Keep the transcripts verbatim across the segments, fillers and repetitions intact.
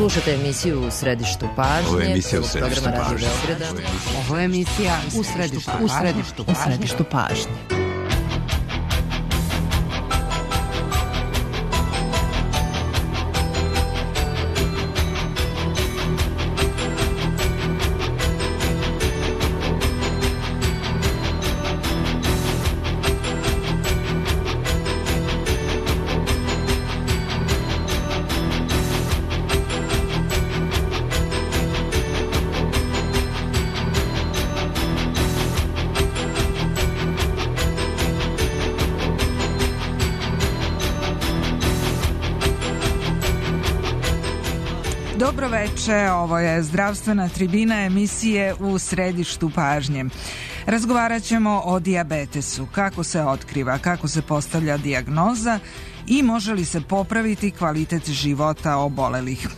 Slušate emisiju U središtu pažnje. Ovo je emisija U središtu pažnje. Ovo je emisija U središtu pažnje. U središtu pažnje. U središtu pažnje. Dobro veče, ovo je zdravstvena tribina emisije U središtu pažnje. Razgovarat ćemo o dijabetesu, kako se otkriva, kako se postavlja dijagnoza i može li se popraviti kvalitet života obolelih.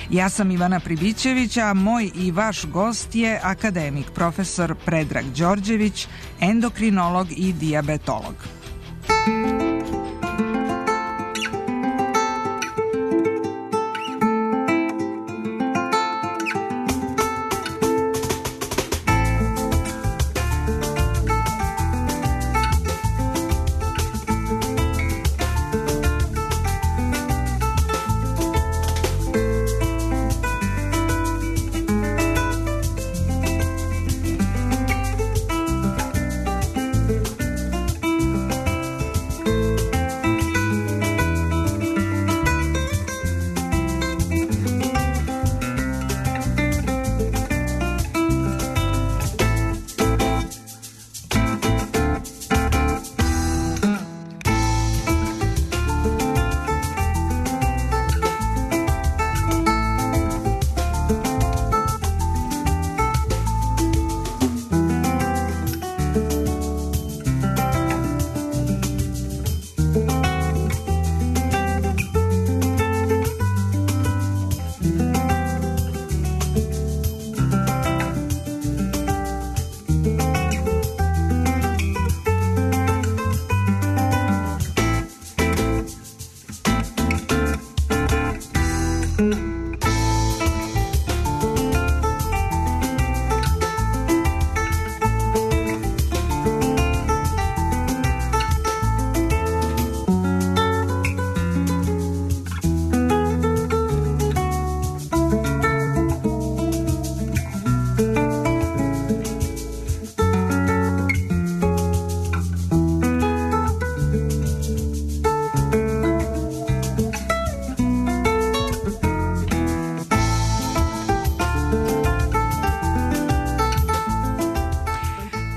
Ja sam Ivana Pribićević, a moj i vaš gost je akademik profesor Predrag Đorđević, endokrinolog i dijabetolog.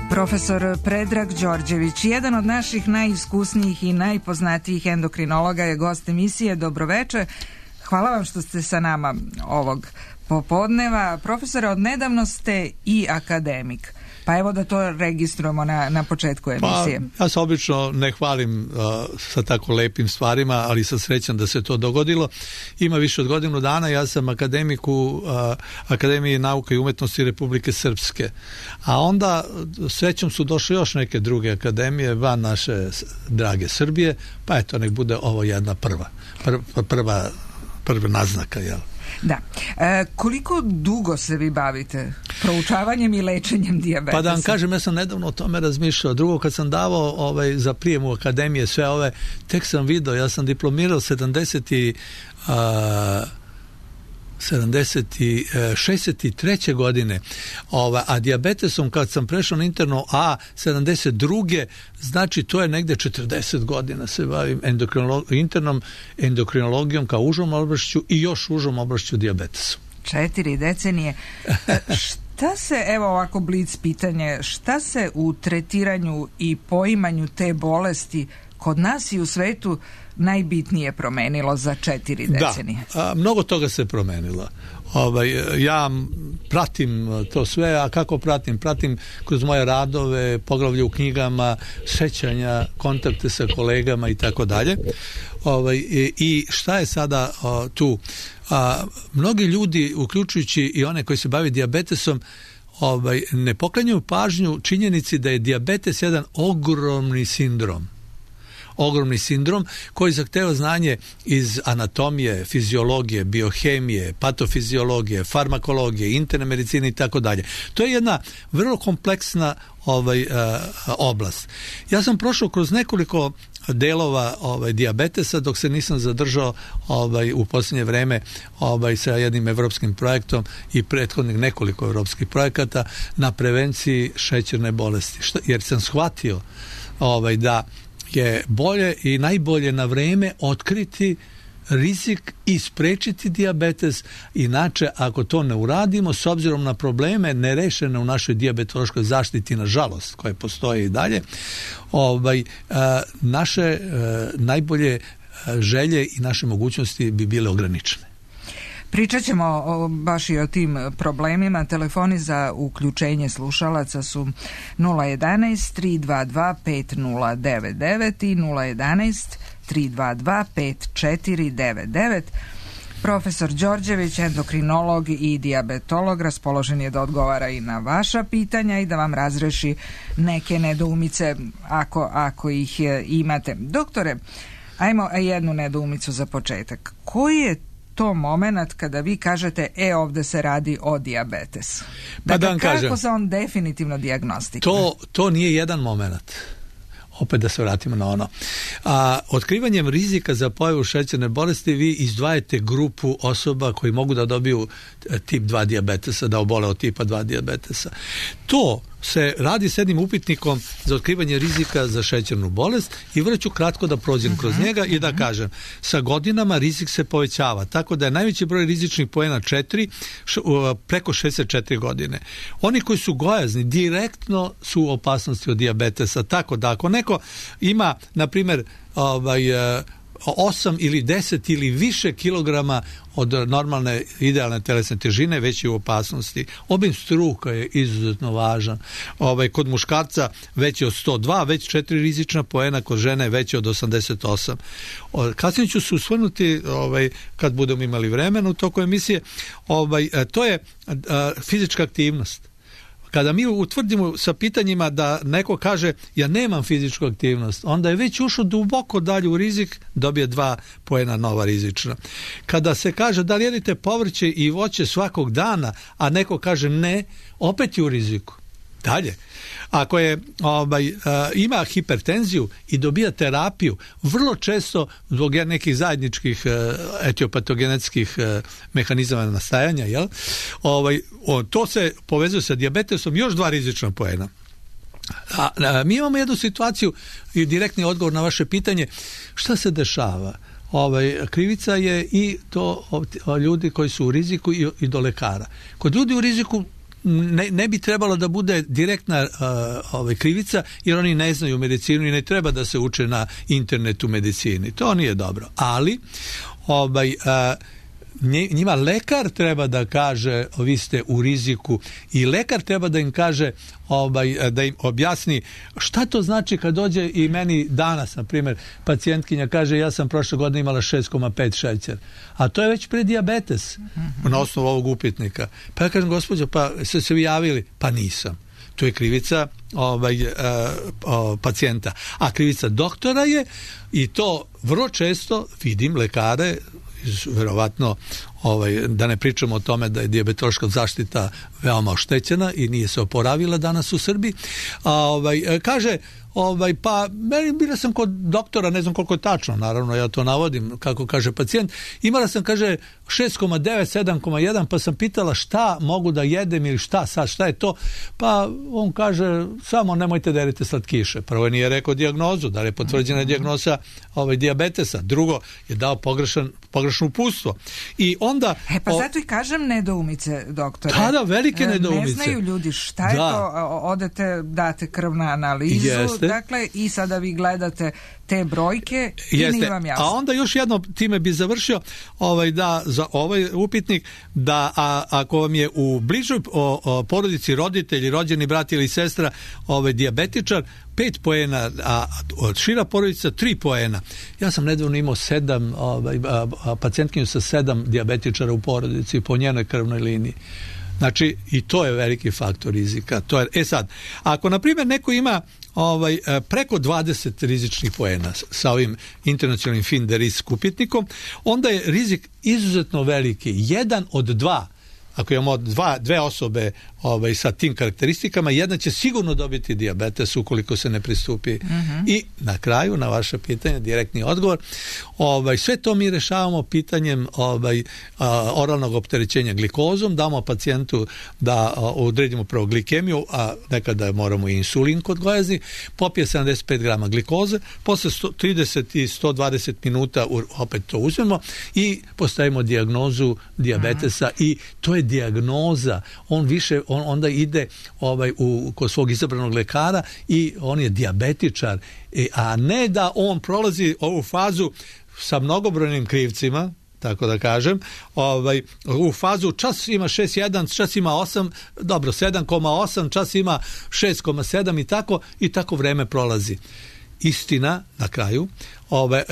Profesor Predrag Đorđević, jedan od naših najiskusnijih i najpoznatijih endokrinologa, je gost emisije. Dobroveče. Hvala vam što ste sa nama ovog popodneva. Profesore, odnedavno ste i akademik. Pa evo da to registrujemo na, na početku emisije. Pa, ja se obično ne hvalim uh, sa tako lepim stvarima, ali sam srećan da se to dogodilo. Ima više od godinu dana, ja sam akademik u uh, Akademiji nauka i umetnosti Republike Srpske. A onda srećom su došle još neke druge akademije van naše drage Srbije, pa eto, nek bude ovo jedna prva, prva, prva, prva naznaka, jel? Da. E, koliko dugo se vi bavite proučavanjem i lečenjem dijabetesa? Pa da vam kažem, ja sam nedavno o tome razmišljao. Drugo, kad sam davao ovaj, za prijem u akademije sve ove, tek sam video, ja sam diplomirao sedamdeset i šezdeset treće godine, ova, a dijabetesom kad sam prešao na interno A sedamdeset druge znači to je negde četrdeset godina se bavim endokrinolog, internom endokrinologijom kao užom oblašću i još užom oblašću dijabetesom. Četiri decenije. Šta se, evo ovako blic pitanje, šta se u tretiranju i poimanju te bolesti kod nas i u svetu najbitnije promenilo za četiri decenije? Da, a, mnogo toga se promenilo. Ovaj, ja pratim to sve, a kako pratim? Pratim kroz moje radove, poglavlje u knjigama, sećanja, kontakte sa kolegama i tako dalje. Ovaj, i šta je sada o, tu? A, mnogi ljudi, uključujući i one koji se bave dijabetesom, ovaj, ne poklanjaju pažnju činjenici da je dijabetes jedan ogromni sindrom. ogromni sindrom koji zahteva znanje iz anatomije, fiziologije, biohemije, patofiziologije, farmakologije, interne medicine i tako dalje. To je jedna vrlo kompleksna ovaj uh, oblast. Ja sam prošao kroz nekoliko delova ovaj dijabetesa dok se nisam zadržao ovaj u posljednje vreme ovaj sa jednim evropskim projektom i prethodnih nekoliko evropskih projekata na prevenciji šećerne bolesti. Šta, jer sam shvatio ovaj da je bolje i najbolje na vreme otkriti rizik i sprečiti dijabetes, inače ako to ne uradimo s obzirom na probleme nerešene u našoj dijabetološkoj zaštiti, nažalost, koje postoje i dalje, ovaj, a, naše a, najbolje želje i naše mogućnosti bi bile ograničene. Pričat ćemo o, baš i o tim problemima. Telefoni za uključenje slušalaca su nula jedanaest tri dva dva pet nula devet devet i nula jedanaest tri dva dva pet četiri devet devet. Profesor Đorđević, endokrinolog i dijabetolog, raspoložen je da odgovara i na vaša pitanja i da vam razreši neke nedoumice ako, ako ih imate. Doktore, ajmo jednu nedoumicu za početak. Koji je to moment kada vi kažete e ovdje se radi o dijabetesu? Pa dakle, da vam kako kažem, se on definitivno dijagnostikuje? To, to nije jedan moment. Opet da se vratimo na ono. A, otkrivanjem rizika za pojavu šećerne bolesti vi izdvajate grupu osoba koji mogu da dobiju tip dva dijabetesa, da obole od tipa dva dijabetesa. To se radi s jednim upitnikom za otkrivanje rizika za šećernu bolest i vrlo ću kratko da prođem kroz njega i da kažem, sa godinama rizik se povećava, tako da je najveći broj rizičnih poena četiri preko šezdeset četiri godine. Oni koji su gojazni direktno su u opasnosti od dijabetesa, tako da ako neko ima, na primjer, ovaj, osam ili deset ili više kilograma od normalne idealne telesne težine, već je u opasnosti. Obim struka je izuzetno važan. Ovaj, kod muškarca veći od sto dva, već četiri rizična poena, kod žene veći od osamdeset osam. Kasnije ću se usvrnuti, ovaj, kad budemo imali vremena u toku emisije, ovaj, to je a, fizička aktivnost. Kada mi utvrdimo sa pitanjima da neko kaže ja nemam fizičku aktivnost, onda je već ušao duboko dalje u rizik, dobije dva poena nova rizična. Kada se kaže da li jedite povrće i voće svakog dana, a neko kaže ne, opet je u riziku. Dalje, ako je ovaj, uh, ima hipertenziju i dobija terapiju, vrlo često zbog nekih zajedničkih uh, etiopatogenetskih uh, mehanizama nastajanja, jel? Ovaj, o, to se povezuje sa dijabetesom, još dva rizična poena. A, a, mi imamo jednu situaciju i direktni odgovor na vaše pitanje, šta se dešava? Ovaj, krivica je i to o, ljudi koji su u riziku i, i do lekara. Kod ljudi u riziku Ne, ne bi trebalo da bude direktna uh, ovaj, krivica, jer oni ne znaju medicinu i ne treba da se uče na internetu medicini. To nije dobro. Ali ovaj, uh, njima lekar treba da kaže vi ste u riziku i lekar treba da im kaže ovaj, da im objasni šta to znači kad dođe i meni danas, na primjer, pacijentkinja kaže ja sam prošle godine imala šest zarez pet šećer, a to je već predijabetes mm-hmm. na osnovu ovog upitnika. Pa ja kažem, gospođo, pa ste se vi javili? Pa nisam. To je krivica ovaj, uh, uh, pacijenta. A krivica doktora je, i to vrlo često vidim lekare, verovatno, ovaj, da ne pričamo o tome da je dijabetološka zaštita veoma oštećena i nije se oporavila danas u Srbiji, a, ovaj, kaže ovaj, pa meni bila sam kod doktora, ne znam koliko je tačno, naravno ja to navodim kako kaže pacijent, imala sam, kaže, šest zarez devet, sedam zarez jedan, pa sam pitala šta mogu da jedem ili šta sad, šta je to, pa on kaže samo nemojte da jedete slatkiše. Prvo nije rekao dijagnozu, da je potvrđena dijagnoza ovaj, dijabetesa, drugo je dao pogrešan, pogrešno uputstvo. I onda e pa zato i kažem nedoumice, doktore. Da, da, velike nedoumice. Ne znaju ljudi šta je da. to, odete, date krv na analizu, Jeste. dakle, i sada vi gledate te brojke i Jeste. nije vam jasno. A onda još jedno, time bi završio, ovaj, da, za ovaj upitnik, da a, ako vam je u bližoj o, o, porodici roditelji, rođeni brat ili sestra ovaj, dijabetičar, pet poena, a od šira porodica tri poena. Ja sam nedavno imao sedam, ovaj, a, a, pacijentkinju sa sedam dijabetičara u porodici po njenoj krvnoj liniji. Znači, i to je veliki faktor rizika. To je, e sad, ako na primjer neko ima ovaj, preko dvadeset rizičnih poena sa ovim internacionalnim fin de risk upitnikom, onda je rizik izuzetno veliki. Jedan od dva, ako imamo dva, dve osobe ovaj, sa tim karakteristikama, jedna će sigurno dobiti dijabetes ukoliko se ne pristupi. Uh-huh. I na kraju, na vaše pitanje, direktni odgovor, ovaj, sve to mi rešavamo pitanjem ovaj, a, oralnog opterećenja glikozom, damo pacijentu da a, odredimo prvo glikemiju, a nekada moramo i insulin kod gojazni, popije sedamdeset pet grama glikoze, posle sto trideset i sto dvadeset minuta u, opet to uzmemo i postavimo dijagnozu dijabetesa. Uh-huh. I to je dijagnoza. On više on onda ide ovaj u kod svog izabranog lekara i on je dijabetičar, e, a ne da on prolazi ovu fazu sa mnogobrojnim krivcima, tako da kažem, ovaj, u fazu čas ima šest zarez jedan, čas ima osam, dobro, sedam zarez osam, čas ima šest zarez sedam i tako, i tako vreme prolazi. Istina, na kraju, ove,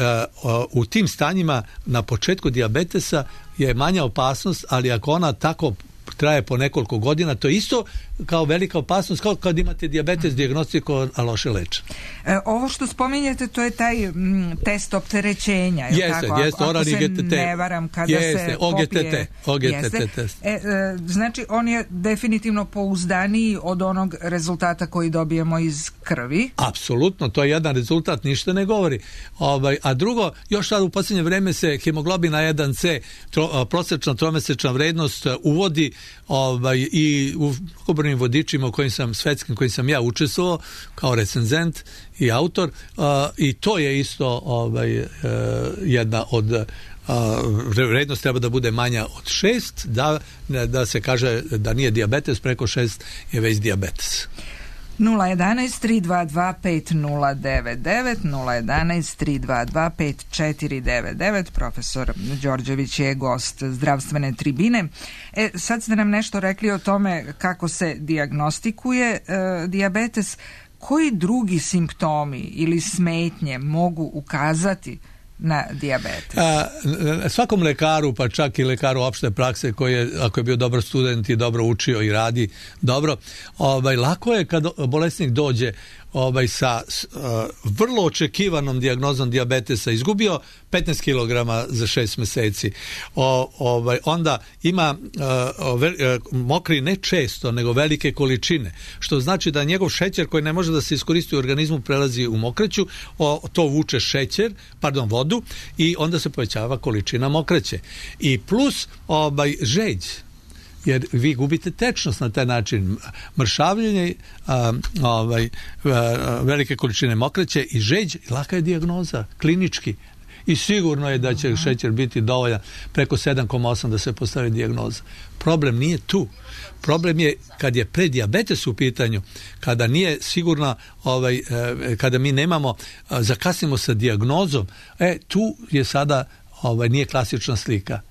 uh, u tim stanjima na početku dijabetesa je manja opasnost, ali ako ona tako traje po nekoliko godina, to je isto kao velika opasnost, kao kad imate dijabetes dijagnostikovan, a loše lečen. E, ovo što spominjete, to je taj m, test opterećenja. Je jeste, tako? jeste, ako, ako se G T T. ne varam, kada jeste, se O G T T, popije... O G T T test. E, e, znači, on je definitivno pouzdaniji od onog rezultata koji dobijemo iz krvi. Apsolutno, to je jedan rezultat, ništa ne govori. Ovaj, a drugo, još sad u posljednje vreme se hemoglobin A jedan C, tro, prosječna tromesečna vrednost uvodi ovaj, i u obrnim vodičima u kojim sam, svetskim kojim sam ja učestvovao kao recenzent i autor, uh, i to je isto ovaj, uh, jedna od uh, vrednost treba da bude manja od šest, da, da se kaže da nije dijabetes, preko šest je već dijabetes. nula jedan tri dva dva pet nula devet devet, nula jedan tri dva dva pet četiri devet devet. Profesor Đorđević je gost zdravstvene tribine. E, sad ste nam nešto rekli o tome kako se dijagnostikuje e, dijabetes. Koji drugi simptomi ili smetnje mogu ukazati na dijabetes? A, svakom lekaru, pa čak i lekaru opšte prakse koji je, ako je bio dobar student i dobro učio i radi dobro, ovaj, lako je kad bolesnik dođe ovaj, sa uh, vrlo očekivanom dijagnozom dijabetesa, izgubio petnaest kilograma za šest meseci. O, ovaj, onda ima uh, ve, uh, mokri ne često, nego velike količine, što znači da njegov šećer koji ne može da se iskoristi u organizmu prelazi u mokraću, o, to vuče šećer, pardon, vodu, i onda se povećava količina mokraće. I plus ovaj, žeđ, jer vi gubite tečnost na taj način, mršavljenje, a, ovaj, a, velike količine mokraće i žeđ, laka je dijagnoza, klinički. I sigurno je da će šećer biti dovoljan preko sedam zarez osam da se postavi dijagnoza. Problem nije tu. Problem je kad je predijabetes u pitanju, kada nije sigurno, ovaj, kada mi nemamo, zakasnimo sa dijagnozom, e, tu je sada, ovaj, nije klasična slika.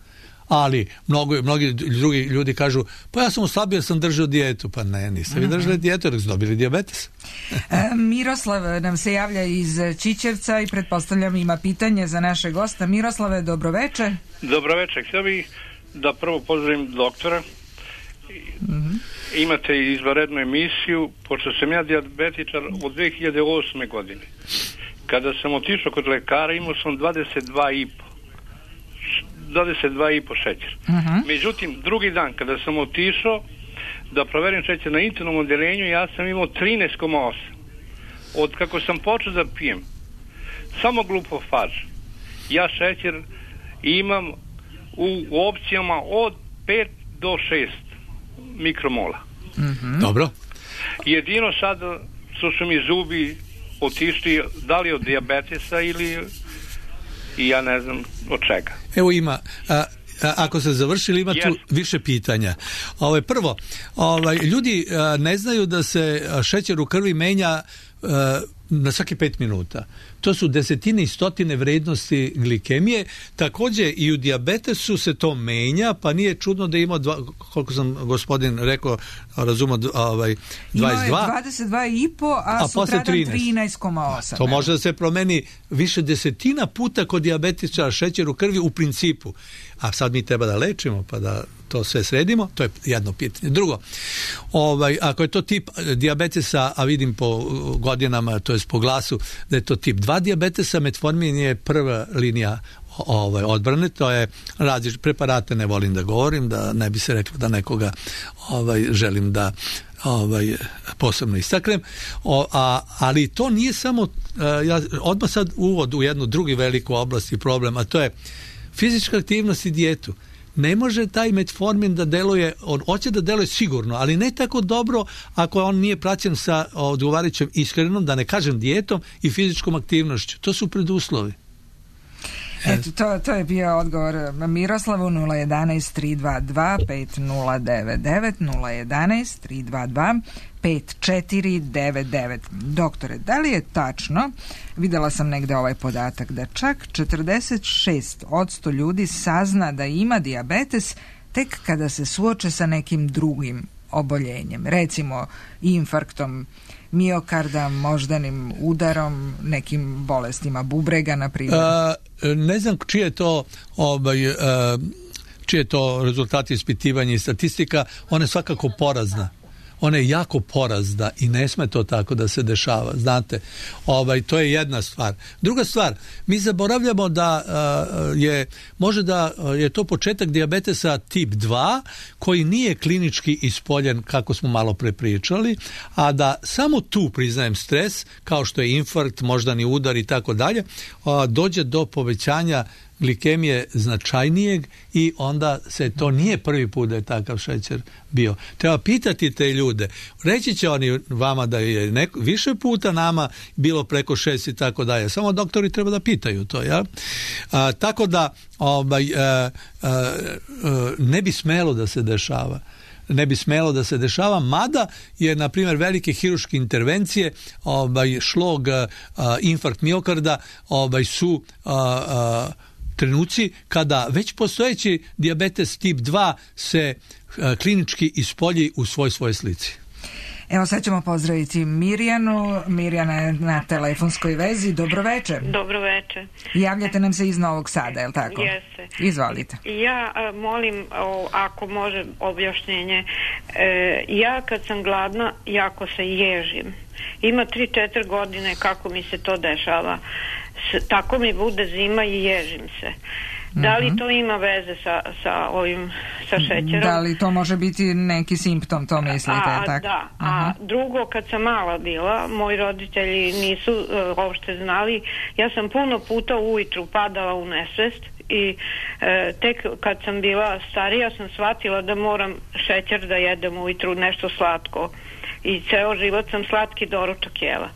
Ali mnogo, mnogi drugi ljudi kažu, pa ja sam oslabio jer sam držao dijetu. Pa ne, niste vi držali dijetu jer ste dobili dijabetes. e, Miroslav nam se javlja iz Čičevca i pretpostavljam ima pitanje za naše gosta. Miroslave, dobroveče. Dobroveče, htio bih da prvo pozdravim doktora. Mm-hmm. Imate izvanrednu emisiju, pošto sam ja dijabetičar od dve hiljade osme godine. Kada sam otišao kod lekara imao sam dvadeset dva i po. dvadeset dva i po šećer. Uh-huh. Međutim, drugi dan kada sam otišao da proverim šećer na internom odeljenju, ja sam imao trinaest zarez osam. Od kako sam počeo da pijem samo glukofaž, ja šećer imam u opcijama od pet do šest mikromola. Uh-huh. Dobro. Jedino sad su su mi zubi otišli, da li od dijabetesa ili i ja ne znam od čega. Evo ima, a, a, ako se završili, ima yes. tu više pitanja. Ove, prvo, ovaj, ljudi a, ne znaju da se šećer u krvi menja a, na svaki pet minuta. to su desetine i stotine vrednosti glikemije. Također i u dijabetesu se to menja, pa nije čudno da ima dva, koliko sam gospodin rekao, razumio, ovaj, dvadeset dva. Imao je dvadeset dva i po, a, a sutradan trinaest zarez osam. To može da se promeni više desetina puta kod dijabetičara šećer u krvi u principu. A sad mi treba da lečimo, pa da to sve sredimo, to je jedno pitanje. Drugo, ovaj, ako je to tip dijabetesa, a vidim po godinama, to je po glasu, da je to tip dva dijabetesa, metformin je prva linija ovaj, odbrane, to je različ, preparate ne volim da govorim, da ne bi se reklo da nekoga ovaj, želim da ovaj, posebno istaknem, o, a, ali to nije samo, a, ja odmah sad uvod u jednu drugu veliku oblast i problem, a to je fizička aktivnost i dijetu. Ne može taj metformin da deluje, on hoće da deluje sigurno, ali ne tako dobro ako on nije praćen sa odgovarajućom ishranom, da ne kažem dijetom i fizičkom aktivnošću. To su preduslovi. Eto, to, to je bio odgovor Miroslavu. Nula jedanaest tri dva dva pet nula devet devet, nula jedanaest tri dva dva pet četiri devet devet. Doktore, da li je tačno, videla sam negde ovaj podatak, da čak četrdeset šest posto ljudi sazna da ima dijabetes tek kada se suoče sa nekim drugim oboljenjem, recimo infarktom miokarda, moždanim udarom, nekim bolestima bubrega, na primjer? A, ne znam čije je to ovaj, a, čije je to rezultati ispitivanja i statistika, ona je svakako porazna. Ona je jako porazna i ne sme to tako da se dešava, znate. Ovaj, to je jedna stvar. Druga stvar, mi zaboravljamo da uh, je, može da je to početak dijabetesa tip dva, koji nije klinički ispoljen, kako smo malo pre pričali, a da samo tu, priznajem, stres, kao što je infarkt, moždani udar i tako dalje, dođe do povećanja glikemije značajnijeg i onda se to nije prvi put da je takav šećer bio. Treba pitati te ljude. Reći će oni vama da je neko, više puta, nama bilo preko šest i tako dalje. Samo doktori treba da pitaju to. Ja? A, tako da ovaj, a, a, a, ne bi smelo da se dešava. ne bi smelo da se dešava, mada je, na primjer, velike hirurške intervencije, ovaj, šlog, a, infarkt miokarda, ovaj, su a, a, trenuci kada već postojeći dijabetes tip dva se a, klinički ispolji u svoj svojoj slici. Evo sad ćemo pozdraviti Mirjanu. Mirjana je na telefonskoj vezi. Dobro večer. Dobro večer. Javljate nam se iz Novog Sada, je li tako? Jeste. Izvolite. Ja a, molim, o, ako može objašnjenje, e, ja kad sam gladna jako se ježim. Ima tri četiri godine kako mi se to dešava. S, tako mi bude zima i ježim se. Da li to ima veze sa, sa ovim, sa šećerom? Da li to može biti neki simptom, to mislite? A, tako? Da, a uh-huh. Drugo, kad sam mala bila, moji roditelji nisu uh, uopšte znali, ja sam puno puta ujutru padala u nesvest i uh, tek kad sam bila starija sam shvatila da moram šećer da jedem ujutru, nešto slatko, i ceo život sam slatki doručak jela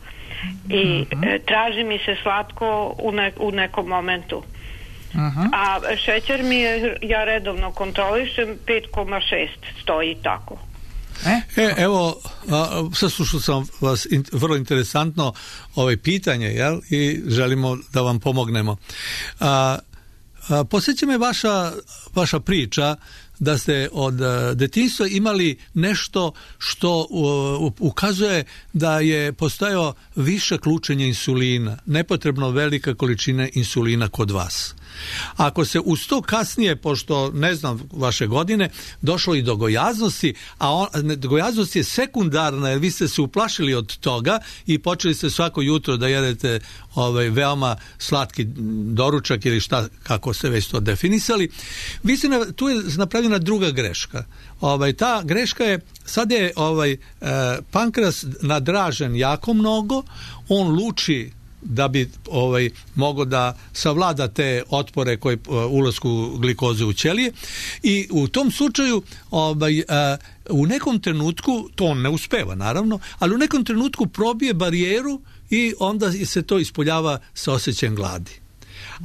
i uh-huh. uh, traži mi se slatko u, ne, u nekom momentu. Uh-huh. A šećer mi je, ja redovno kontrolišem, pet zarez šest stoji tako. E, e evo, saslušao sam vas, in, vrlo interesantno ovaj pitanje, jel? I želimo da vam pomognemo. A, a, posjeća me vaša, vaša priča da ste od detinjstva imali nešto što uh, ukazuje da je postojao višak lučenja insulina, nepotrebno velika količina insulina kod vas. Ako se uz to kasnije, pošto ne znam vaše godine, došlo i do gojaznosti, a on, gojaznost je sekundarna jer vi ste se uplašili od toga i počeli ste svako jutro da jedete ovaj, veoma slatki doručak ili šta, kako ste već to definisali, vi ste, tu je napravljena druga greška. Ovaj, ta greška je, sad je ovaj, eh, pankreas nadražen jako mnogo, on luči da bi ovaj mogao da savlada te otpore koji uh, ulasku glikoze u ćelije i u tom slučaju ovaj, uh, u nekom trenutku, to on ne uspeva naravno, ali u nekom trenutku probije barijeru i onda se to ispoljava sa osjećajem gladi.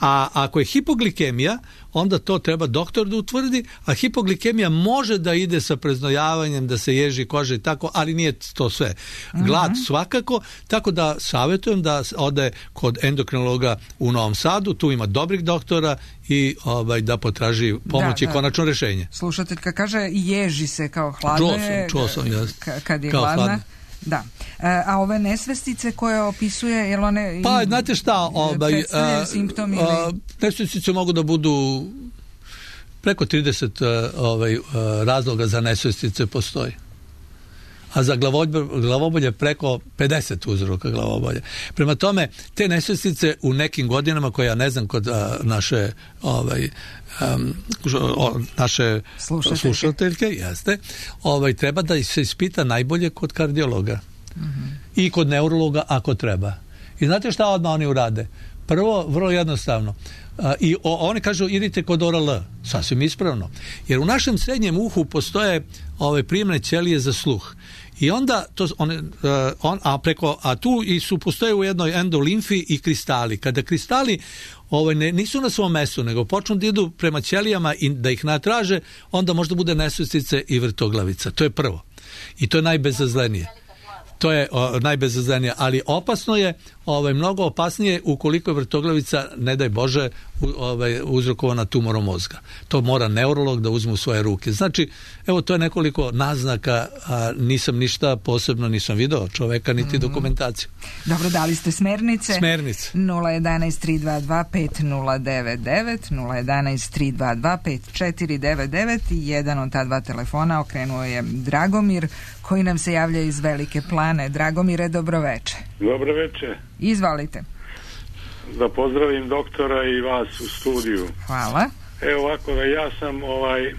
A ako je hipoglikemija, onda to treba doktor da utvrdi, a hipoglikemija može da ide sa preznojavanjem, da se ježi koža i tako, ali nije to sve. Glad uh-huh. svakako, tako da savjetujem da ode kod endokrinologa u Novom Sadu, tu ima dobrih doktora i ovaj, da potraži pomoć i konačno rješenje. Slušateljka kaže, ježi se kao hladno je, čuo sam, čuo sam, k- kad je hladna. Hladno. Da. E, a ove nesvestice koje opisuje, jel one... Pa, znate šta, ovaj, predstavljaju simptom ili... nesvestice mogu da budu preko trideset ovaj, razloga za nesvestice postoji. A za glavobolje, glavobolje preko pedeset uzroka glavobolje. Prema tome, te nesvestice u nekim godinama, koje ja ne znam kod a, naše ovaj, um, o, naše slušateljke, slušateljke jeste, ovaj, treba da se ispita najbolje kod kardiologa. Mm-hmm. I kod neurologa ako treba. I znate šta odmah oni urade? Prvo, vrlo jednostavno. A, I o, oni kažu idite kod O R L. Sasvim ispravno. Jer u našem srednjem uhu postoje ove primne ćelije za sluh. I onda to one, uh, on, a preko a tu i su postoje u jednoj endolimfi i kristali. Kada kristali ovaj ne, nisu na svom mestu, nego počnu da idu prema ćelijama i da ih natraže, onda možda bude nesvestice i vrtoglavica. To je prvo. I to je najbezazlenije. To je o, najbezazlenije, ali opasno je, ovaj, mnogo opasnije ukoliko je vrtoglavica, ne daj Bože, u, ovaj, uzrokovana tumorom mozga. To mora neurolog da uzme u svoje ruke. Znači, evo, to je nekoliko naznaka, a nisam ništa posebno, nisam video čoveka, niti mm-hmm. dokumentaciju. Dobro, dali ste smernice. Smernice. nula jedan tri dva dva pet nula devet devet, nula jedan tri dva dva pet četiri devet devet i jedan od ta dva telefona okrenuo je Dragomir, koji nam se javlja iz Velike Plane. Dragomire, dobroveče. Dobroveče. Izvalite. Da pozdravim doktora i vas u studiju. Hvala. Evo ovako, da ja sam ovaj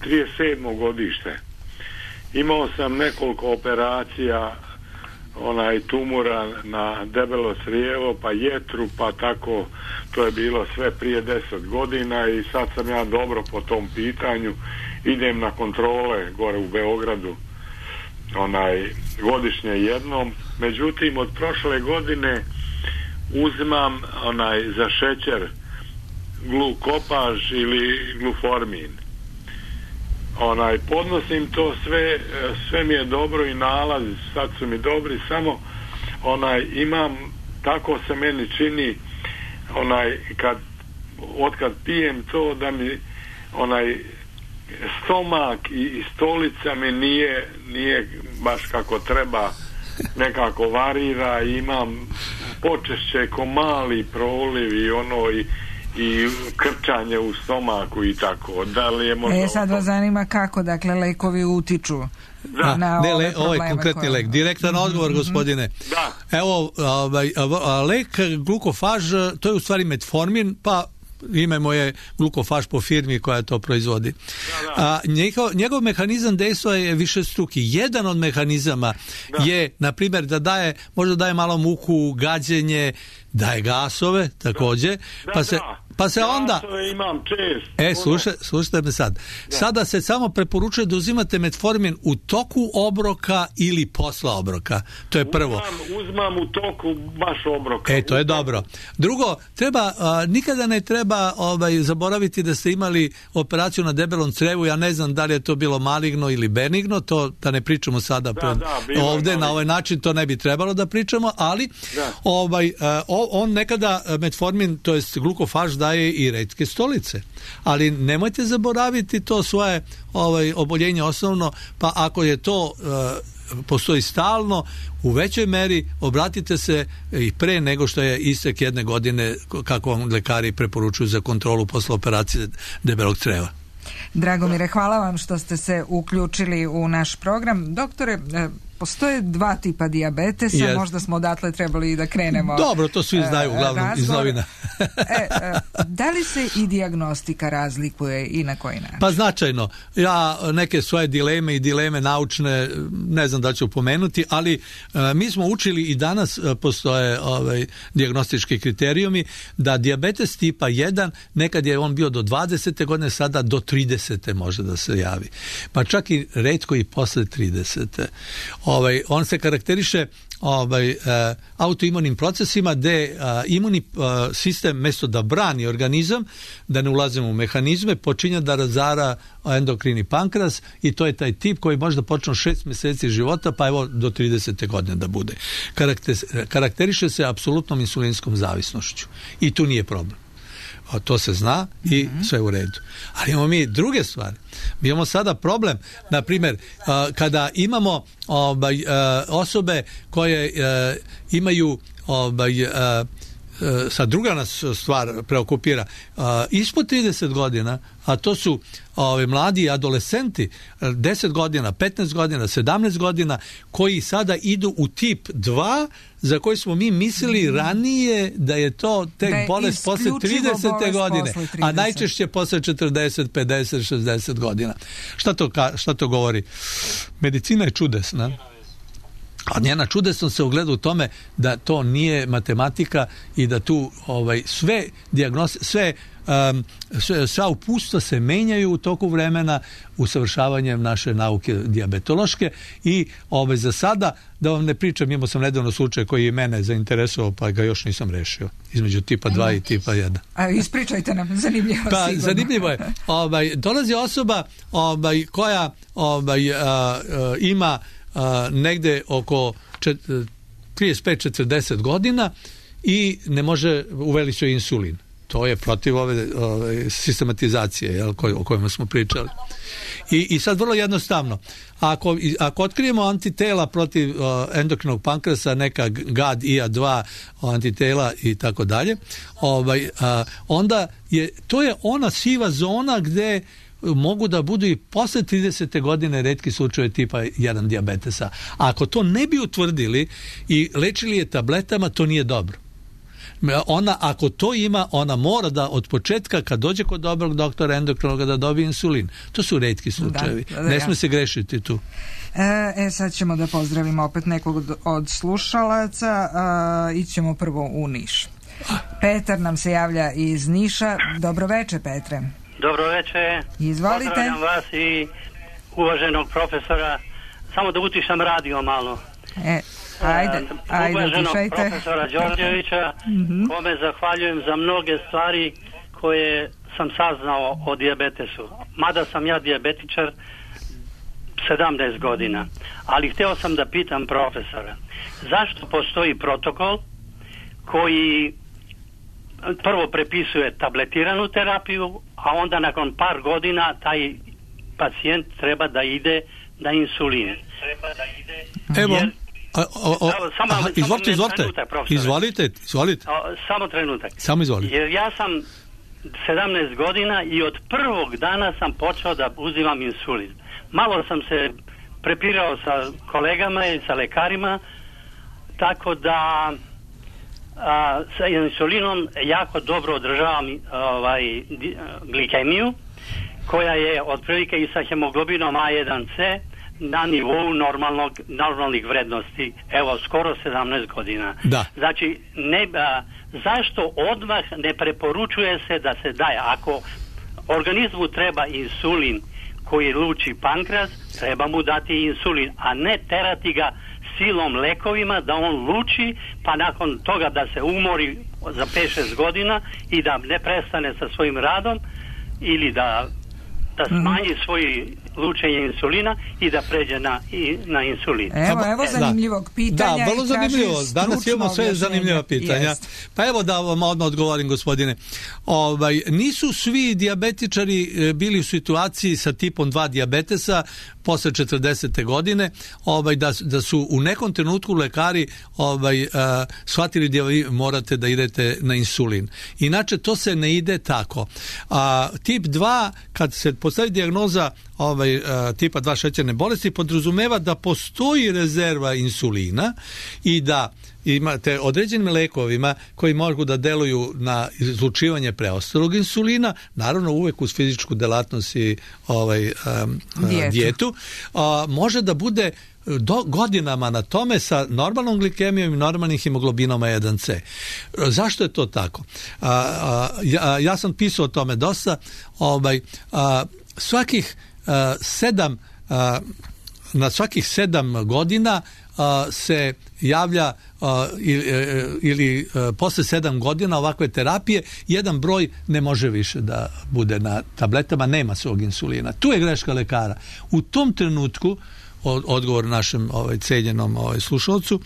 trideset sedmo godište. Imao sam nekoliko operacija, onaj tumora na debelo crijevo, pa jetru, pa tako, to je bilo sve prije deset godina i sad sam ja dobro po tom pitanju. Idem na kontrole gore u Beogradu, onaj godišnje jednom. Međutim, od prošle godine uzimam onaj za šećer glukopaž ili gluformin. Onaj podnosim to sve, sve mi je dobro i nalaz, sad su mi dobri, samo onaj imam, tako se meni čini, onaj kad otkad pijem to da mi onaj stomak i stolica mi nije, nije baš kako treba, nekako varira, imam počešće ko mali proliv i ono i, i krčanje u stomaku i tako. Da li je možda... E, sad vas zanima kako, dakle, lekovi utiču da, na ne, ove le, ovaj konkretni koje... lek. Direktan mm-hmm. odgovor, gospodine. Da. Evo, ovaj, lek glukofaž, to je u stvari metformin, pa ime moje glukofaž po firmi koja to proizvodi. Da, da. A, njegov, njegov mehanizam dejstva je višestruki. Jedan od mehanizama da. je, na primjer, da daje, možda daje malo muku, gađenje, daje gasove, također, da, pa se... Da. Pa se onda... imam čest. E, slušaj, slušajte me sad. Da. Sada se samo preporučuje da uzimate metformin u toku obroka ili posla obroka. To je prvo. Uzmam, uzmam u toku baš obroka. E, to je dobro. Drugo, treba, a, nikada ne treba ovaj, zaboraviti da ste imali operaciju na debelom crevu. Ja ne znam da li je to bilo maligno ili benigno, to da ne pričamo sada da, pred, da, ovde, na ovaj način to ne bi trebalo da pričamo, ali da. ovaj, a, on nekada metformin, to jest glukofaž, daje i retke stolice. Ali nemojte zaboraviti to svoje ovaj, oboljenje osnovno, pa ako je to uh, postoji stalno, u većoj meri obratite se i pre nego što je istek jedne godine, kako vam lekari preporučuju za kontrolu posle operacije debelog creva. Dragomire, hvala vam što ste se uključili u naš program. Doktore, postoje dva tipa dijabetesa, yes. možda smo odatle trebali i da krenemo. Dobro, to svi znaju uglavnom razgovor. Iz novina. e, da li se i dijagnostika razlikuje i na koji način? Pa značajno. Ja neke svoje dileme i dileme naučne ne znam da ću pomenuti, ali mi smo učili i danas postoje ovaj, dijagnostički kriterijumi da dijabetes tipa jedan, nekad je on bio do dvadesete godine, sada do tridesete može da se javi. Pa čak i retko i posle tridesete. Ovaj, on se karakteriše ovaj, uh, autoimunim procesima gde uh, imunni uh, sistem mesto da brani organizam, da ne ulazimo u mehanizme, počinje da razara endokrini pankreas i to je taj tip koji može da počne šest mjeseci života, pa evo do tridesete godine da bude. Karakter, karakteriše se apsolutnom insulinskom zavisnošću i tu nije problem. A to se zna i mm-hmm. sve u redu. Ali imamo mi druge stvari. Mi imamo sada problem, na primjer, uh, kada imamo obaj, uh, osobe koje uh, imaju obaj, uh, uh, sad druga nas stvar preokupira, uh, ispod trideset godina, a to su ovi mladi adolescenti, deset godina, petnaest godina, sedamnaest godina, koji sada idu u tip dva, za koji smo mi mislili ranije da je to tek da je bolest posle tridesete godine, posle trideset. A najčešće posle četrdeset, pedeset, šezdeset godina. Šta to, šta to govori? Medicina je čudesna. A njena čudesnost se ogleda u tome da to nije matematika i da tu ovaj, sve dijagnoze, sve Um, sve, sva upustva se menjaju u toku vremena usavršavanjem naše nauke dijabetološke i ovaj, za sada, da vam ne pričam, imao sam nedavno slučaj koji je mene zainteresovao, pa ga još nisam rešio, između tipa dva i tipa jedan. A ispričajte nam, zanimljivo pa, sigurno. Zanimljivo je. Ovaj, dolazi osoba ovaj, koja ovaj, a, a, ima a, negde oko čet, trideset pet četrdeset godina i ne može, uveli su insulin. To je protiv ove, ove sistematizacije, jel, koj, o kojima smo pričali. I, i sad vrlo jednostavno, ako, ako otkrijemo antitela protiv uh, endokrinog pankreasa, neka G A D I A dva antitela i tako dalje, ovaj, uh, onda je, to je ona siva zona gde mogu da budu i posle tridesete godine retki slučajevi tipa jedan dijabetesa. A ako to ne bi utvrdili i lečili je tabletama, to nije dobro. Ona, ako to ima, ona mora da od početka, kad dođe kod dobrog doktora endokrinologa, da dobije insulin. To su retki slučajevi. Da, da, ne smije se grešiti tu. E, e, sad ćemo da pozdravimo opet nekog od, od slušalaca. E, ićemo prvo u Niš. Petar nam se javlja iz Niša. Dobro veče, Petre. Dobro veče. Izvolite. Pozdravljam vas i uvaženog profesora. Samo da utišam radio malo. E, Ajde, ajde, uvaženog utišajte. Profesora Đorđevića, mm-hmm. kome zahvaljujem za mnoge stvari koje sam saznao o dijabetesu. Mada sam ja dijabetičar sedamnaest godina. Ali hteo sam da pitam profesora, zašto postoji protokol koji prvo prepisuje tabletiranu terapiju, a onda nakon par godina taj pacijent treba da ide na insulin. Treba da ide... Evo... Jer, A, o, o, samo, aha, izvolite, izvolite, trenutak, izvolite, izvolite. O, samo trenutak. Samo izvolite. Jer ja sam sedamnaest godina i od prvog dana sam počeo da uzimam insulin. Malo sam se prepirao sa kolegama i sa lekarima, tako da a, sa insulinom jako dobro održavam ovaj, glikemiju, koja je otprilike i sa hemoglobinom A jedan C na nivou normalnog, normalnih vrednosti, evo, skoro sedamnaest godina. Da. Znači, ne, a, zašto odmah ne preporučuje se da se daje? Ako organizmu treba insulin koji luči pankreas, treba mu dati insulin, a ne terati ga silom lekovima da on luči, pa nakon toga da se umori za pet šest godina i da ne prestane sa svojim radom ili da da smanji svoje lučenje insulina i da pređe na, i, na insulin. Evo, evo zanimljivog pitanja. Da, vrlo zanimljivo. Danas imamo sve zanimljiva pitanja. Jest. Pa evo da vam odmah odgovorim, gospodine. Ovaj, nisu svi dijabetičari bili u situaciji sa tipom dva dijabetesa posle četrdesete godine, ovaj, da, da su u nekom trenutku lekari ovaj, uh, shvatili da vi morate da idete na insulin. Inače, to se ne ide tako. A, tip dva, kad se postavi dijagnoza ovaj, uh, tipa dva šećerne bolesti, podrazumeva da postoji rezerva insulina i da imate određenim lekovima koji mogu da deluju na izlučivanje preostalog insulina, naravno uvek uz fizičku delatnost i ovaj, um, dijetu, dijetu uh, može da bude do godinama na tome sa normalnom glikemijom i normalnim hemoglobinom A jedan C. Zašto je to tako? Uh, uh, ja, ja sam pisao o tome dosta. Ovaj, uh, svakih uh, sedam uh, na svakih sedam godina a, se javlja a, ili, ili a, posle sedam godina ovakve terapije jedan broj ne može više da bude na tabletama, nema svog insulina. Tu je greška lekara. U tom trenutku odgovor našem ovaj, cenjenom ovaj, slušalcu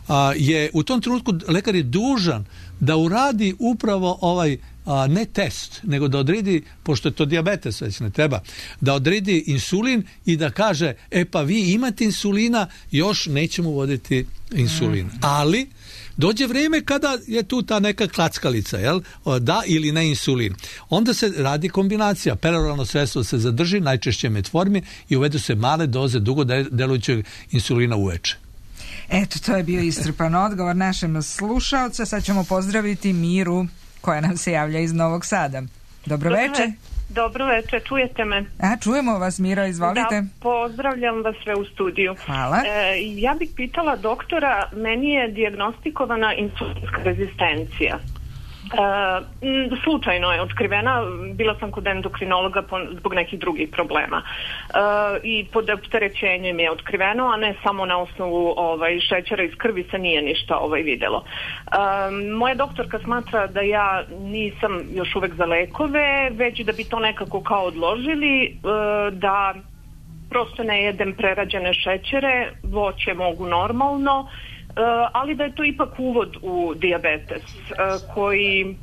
a, je u tom trenutku lekar je dužan da uradi upravo ovaj a, ne test, nego da odredi, pošto je to dijabetes već ne treba, da odredi insulin i da kaže, e pa vi imate insulina, još nećemo uvoditi insulin. Mm. Ali dođe vrijeme kada je tu ta neka klackalica, jel? Da ili ne insulin. Onda se radi kombinacija. Peroralno sredstvo se zadrži, najčešće metformin, i uvedu se male doze dugo delujućeg insulina uveče. Eto, to je bio iscrpan odgovor našem slušaoca. Sad ćemo pozdraviti Miru, koja nam se javlja iz Novog Sada. Dobro veče. Dobro veče, čujete me? A, čujemo vas, Miro, izvolite. Da, pozdravljam vas sve u studiju. Hvala. E, ja bih pitala doktora, meni je dijagnostikovana insulinska rezistencija. E, slučajno je otkrivena, bila sam kod endokrinologa po, zbog nekih drugih problema. E, I pod opterećenjem je otkriveno, a ne samo na osnovu ovaj, šećera iz krvi se nije ništa ovaj, vidjelo. E, moja doktorka smatra da ja nisam još uvek za lekove, već da bi to nekako kao odložili, e, da prosto ne jedem prerađene šećere, voće mogu normalno, ali da je to ipak uvod u dijabetes koji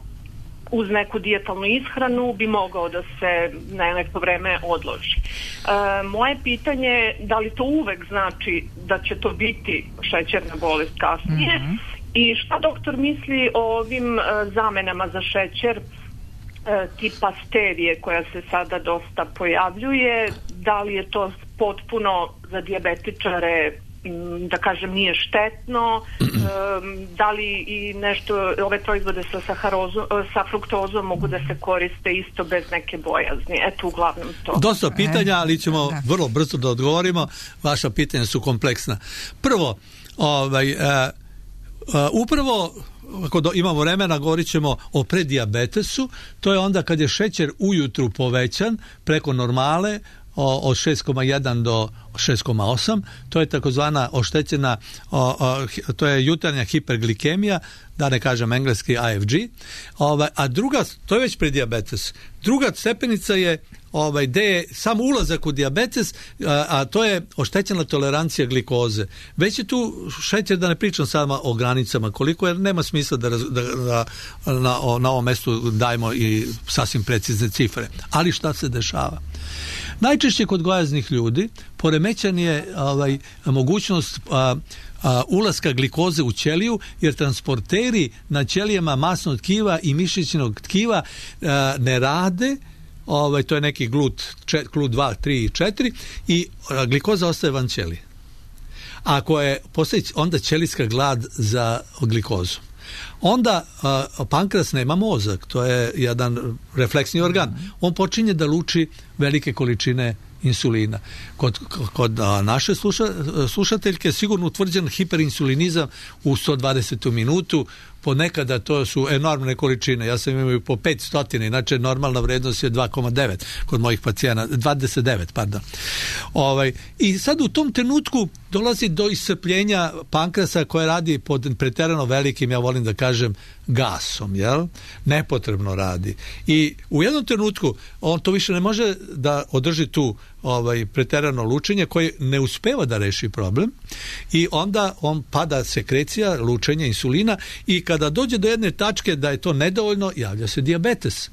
uz neku dijetalnu ishranu bi mogao da se na neko vreme odloži. Moje pitanje je da li to uvek znači da će to biti šećerna bolest kasnije, mm-hmm. i šta doktor misli o ovim zamenama za šećer tipa stevije koja se sada dosta pojavljuje, da li je to potpuno za dijabetičare, da kažem, nije štetno, da li i nešto, ove proizvode sa saharozom, sa fruktozom mogu da se koriste isto bez neke bojazni. Eto, uglavnom to. Dosta pitanja, ali ćemo da. vrlo brzo da odgovorimo. Vaša pitanja su kompleksna. Prvo, ovaj, uh, uh, upravo ako do, imamo vremena, govorit ćemo o predijabetesu. To je onda kad je šećer ujutru povećan preko normale od šest zarez jedan do šest zarez osam, to je takozvana oštećena, o, o, to je jutarnja hiperglikemija, da ne kažem engleski A F G, ovaj, a druga, to je već predijabetes. Druga stepenica je ovaj, gde je sam ulazak u dijabetes, a, a to je oštećena tolerancija glikoze. Već je tu šećer, da ne pričam samo o granicama koliko, jer nema smisla da, da, da na, na ovom mestu dajemo i sasvim precizne cifre. Ali šta se dešava? Najčešće kod gojaznih ljudi poremećan je ovaj, mogućnost a, a, ulaska glikoze u ćeliju, jer transporteri na ćelijama masnog tkiva i mišićnog tkiva a, ne rade. Ovaj, to je neki glut, čet, glut dva, tri i četiri, i a, glikoza ostaje van ćelije. Ako je postoji onda ćelijska glad za glikozu. Onda a, pankreas nema mozak, to je jedan refleksni organ. On počinje da luči velike količine insulina. Kod, kod a, naše sluša, slušateljke sigurno utvrđen hiperinsulinizam u sto dvadesetu minutu, ponekada to su enormne količine. Ja sam imao po petsto, inače normalna vrednost je dva zarez devet kod mojih pacijenata, dvadeset devet, pardon. Ovaj, i sad u tom trenutku dolazi do iscrpljenja pankreasa koje radi pod preterano velikim, ja volim da kažem, gasom, jel? Nepotrebno radi. I u jednom trenutku on to više ne može da održi tu ovaj, preterano lučenje koje ne uspeva da reši problem, i onda on pada sekrecija, lučenje insulina, i kada dođe do jedne tačke da je to nedovoljno, javlja se dijabetes.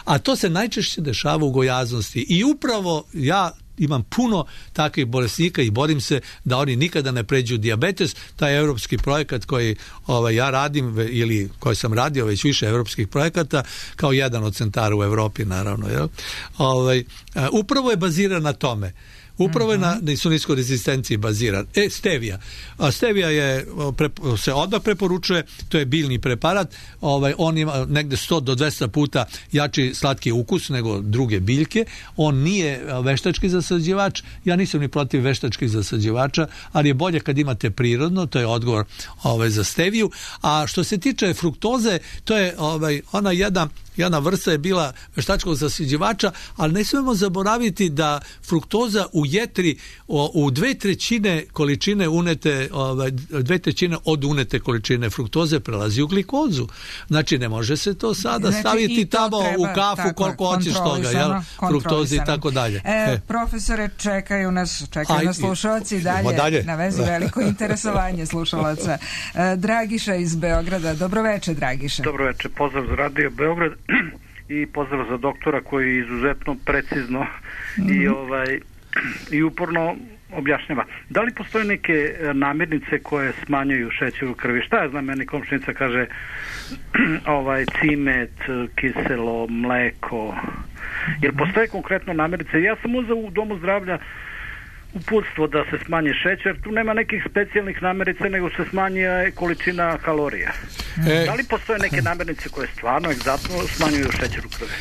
A to se najčešće dešava u gojaznosti. I upravo ja imam puno takvih bolesnika i borim se da oni nikada ne pređu dijabetes. Taj evropski projekat koji ovaj, ja radim, ili koji sam radio, već više evropskih projekata, kao jedan od centara u Evropi, naravno, jel? Ovaj, upravo je baziran na tome. Upravo je na insulinskoj rezistenciji baziran. E, stevija. A stevija je, pre, se odmah preporučuje, to je biljni preparat, ovaj, on ima negde sto do dvesta puta jači slatki ukus nego druge biljke, on nije veštački zasađivač, ja nisam ni protiv veštačkih zasađivača, ali je bolje kad imate prirodno, to je odgovor ovaj, za steviju. A što se tiče fruktoze, to je ovaj, ona jedna jedna vrsta je bila veštačkog zasiđivača, ali ne smemo zaboraviti da fruktoza u jetri o, u dve trećine količine unete, ovaj, dve trećine od unete količine fruktoze prelazi u glikozu. Znači ne može se to sada znači, staviti tamo treba, u kafu tako, koliko hoćeš toga, jel? Fruktoze i tako dalje. E, e. Profesore, čekaju nas, čekaju Aj, nas slušalci dalje, dalje na vezi veliko interesovanje slušalaca. E, Dragiša iz Beograda, dobroveče Dragiša. Dobroveče, pozdrav za Radio Beograd i pozdrav za doktora koji izuzetno precizno mm-hmm. i ovaj i uporno objašnjava. Da li postoje neke namirnice koje smanjuju šećer u krvi? Šta je, znam, meni komšinica kaže ovaj cimet, kiselo, mleko. Jer postoje konkretno namirnice. Ja sam uzeo u domu zdravlja uputstvo da se smanji šećer, tu nema nekih specijalnih namirnica, nego se smanjuje količina kalorija. E, da li postoje neke namirnice koje stvarno egzaktno smanjuju šećer u krvi?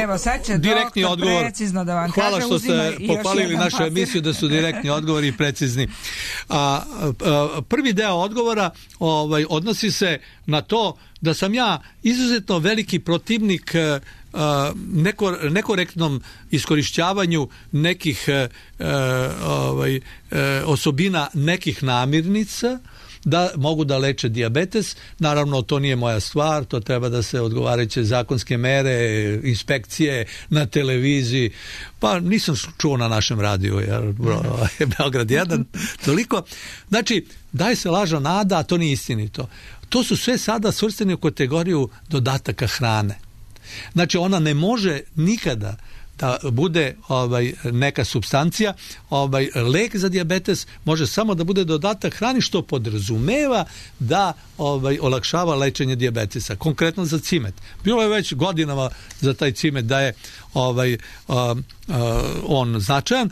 Evo, sad će direktni doktor odgovor, precizno da vam hvala kaže, što ste pohvalili našu papir. Emisiju da su direktni odgovori i precizni. A, a, prvi deo odgovora ovaj, odnosi se na to da sam ja izuzetno veliki protivnik Uh, neko, nekorektnom iskorišćavanju nekih uh, ovaj, uh, osobina nekih namirnica da mogu da leče dijabetes. Naravno, to nije moja stvar, to treba da se odgovarajuće zakonske mere, inspekcije na televiziji, pa nisam čuo na našem radiju, jer Beograd jedan, toliko. Znači, daje se lažna nada, a to nije istinito. To su sve sada svrsteni u kategoriju dodataka hrane. Znači, ona ne može nikada da bude ovaj, neka supstancija, ovaj, lek za dijabetes može samo da bude dodatak hrani, što podrazumeva da ovaj, olakšava lečenje dijabetesa. Konkretno za cimet. Bilo je već godinama za taj cimet da je ovaj, uh, uh, on značajan.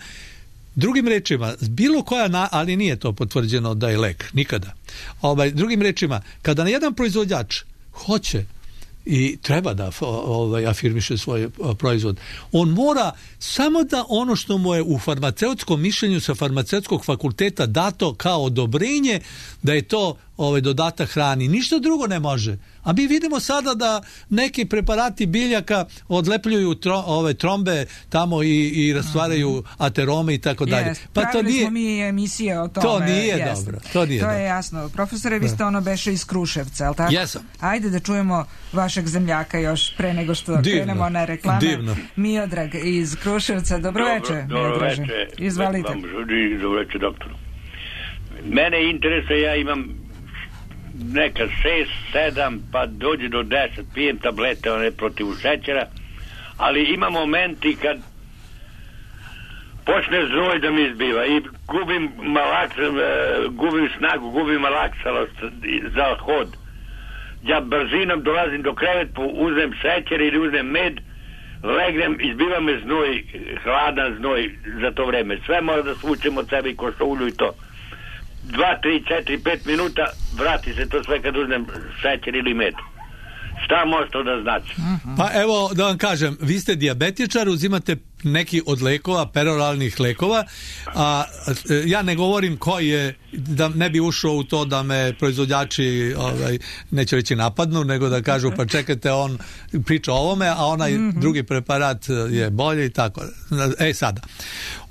Drugim rečima, bilo koja, na, ali nije to potvrđeno da je lek, nikada. Ovaj, drugim rečima, kada na jedan proizvođač hoće i treba da ovaj, afirmiše svoj proizvod, on mora samo da ono što mu je u farmaceutskom mišljenju sa farmaceutskog fakulteta dato kao odobrenje da je to ovaj, dodatak hrani, ništa drugo ne može. A mi vidimo sada da neki preparati biljaka odlepljuju tro, ove trombe tamo i, i rastvaraju aterome i tako dalje. Pa to nije, smo mi emisije o tome. To nije jest. dobro. To, nije to dobro. je jasno. Profesore, vi ste ono beše iz Kruševca, je li tako? Jesam. Ajde da čujemo vašeg zemljaka još pre nego što Divno. krenemo na reklame. Divno. Miodrag iz Kruševca. Dobroveče. Dobro veče. Izvalite. Dobro veče, doktor. Mene interesuje, ja imam neka šest, sedam, pa dođe do deset, pijem tablete, one protiv šećera, ali ima momenti kad počne znoj da mi izbiva i gubim malaks, gubim snagu, gubim malaksalost za hod. Ja brzinom dolazim do kreveta, uzmem šećer ili uzmem med, legnem, izbiva me znoj, hladan znoj za to vreme. Sve mora da svučem od sebe i košulju i to. Dva, tri, četiri, pet minuta, vrati se to sve kad uzmem šećer ili med. Šta može to da znači? Pa evo da vam kažem, vi ste dijabetičar, uzimate neki od lekova, peroralnih lekova, a ja ne govorim koji je, da ne bi ušao u to da me proizvođači ovaj, neće reći napadnu, nego da kažu pa čekajte, on priča o ovome, a onaj mm-hmm. drugi preparat je bolje i tako. E sada,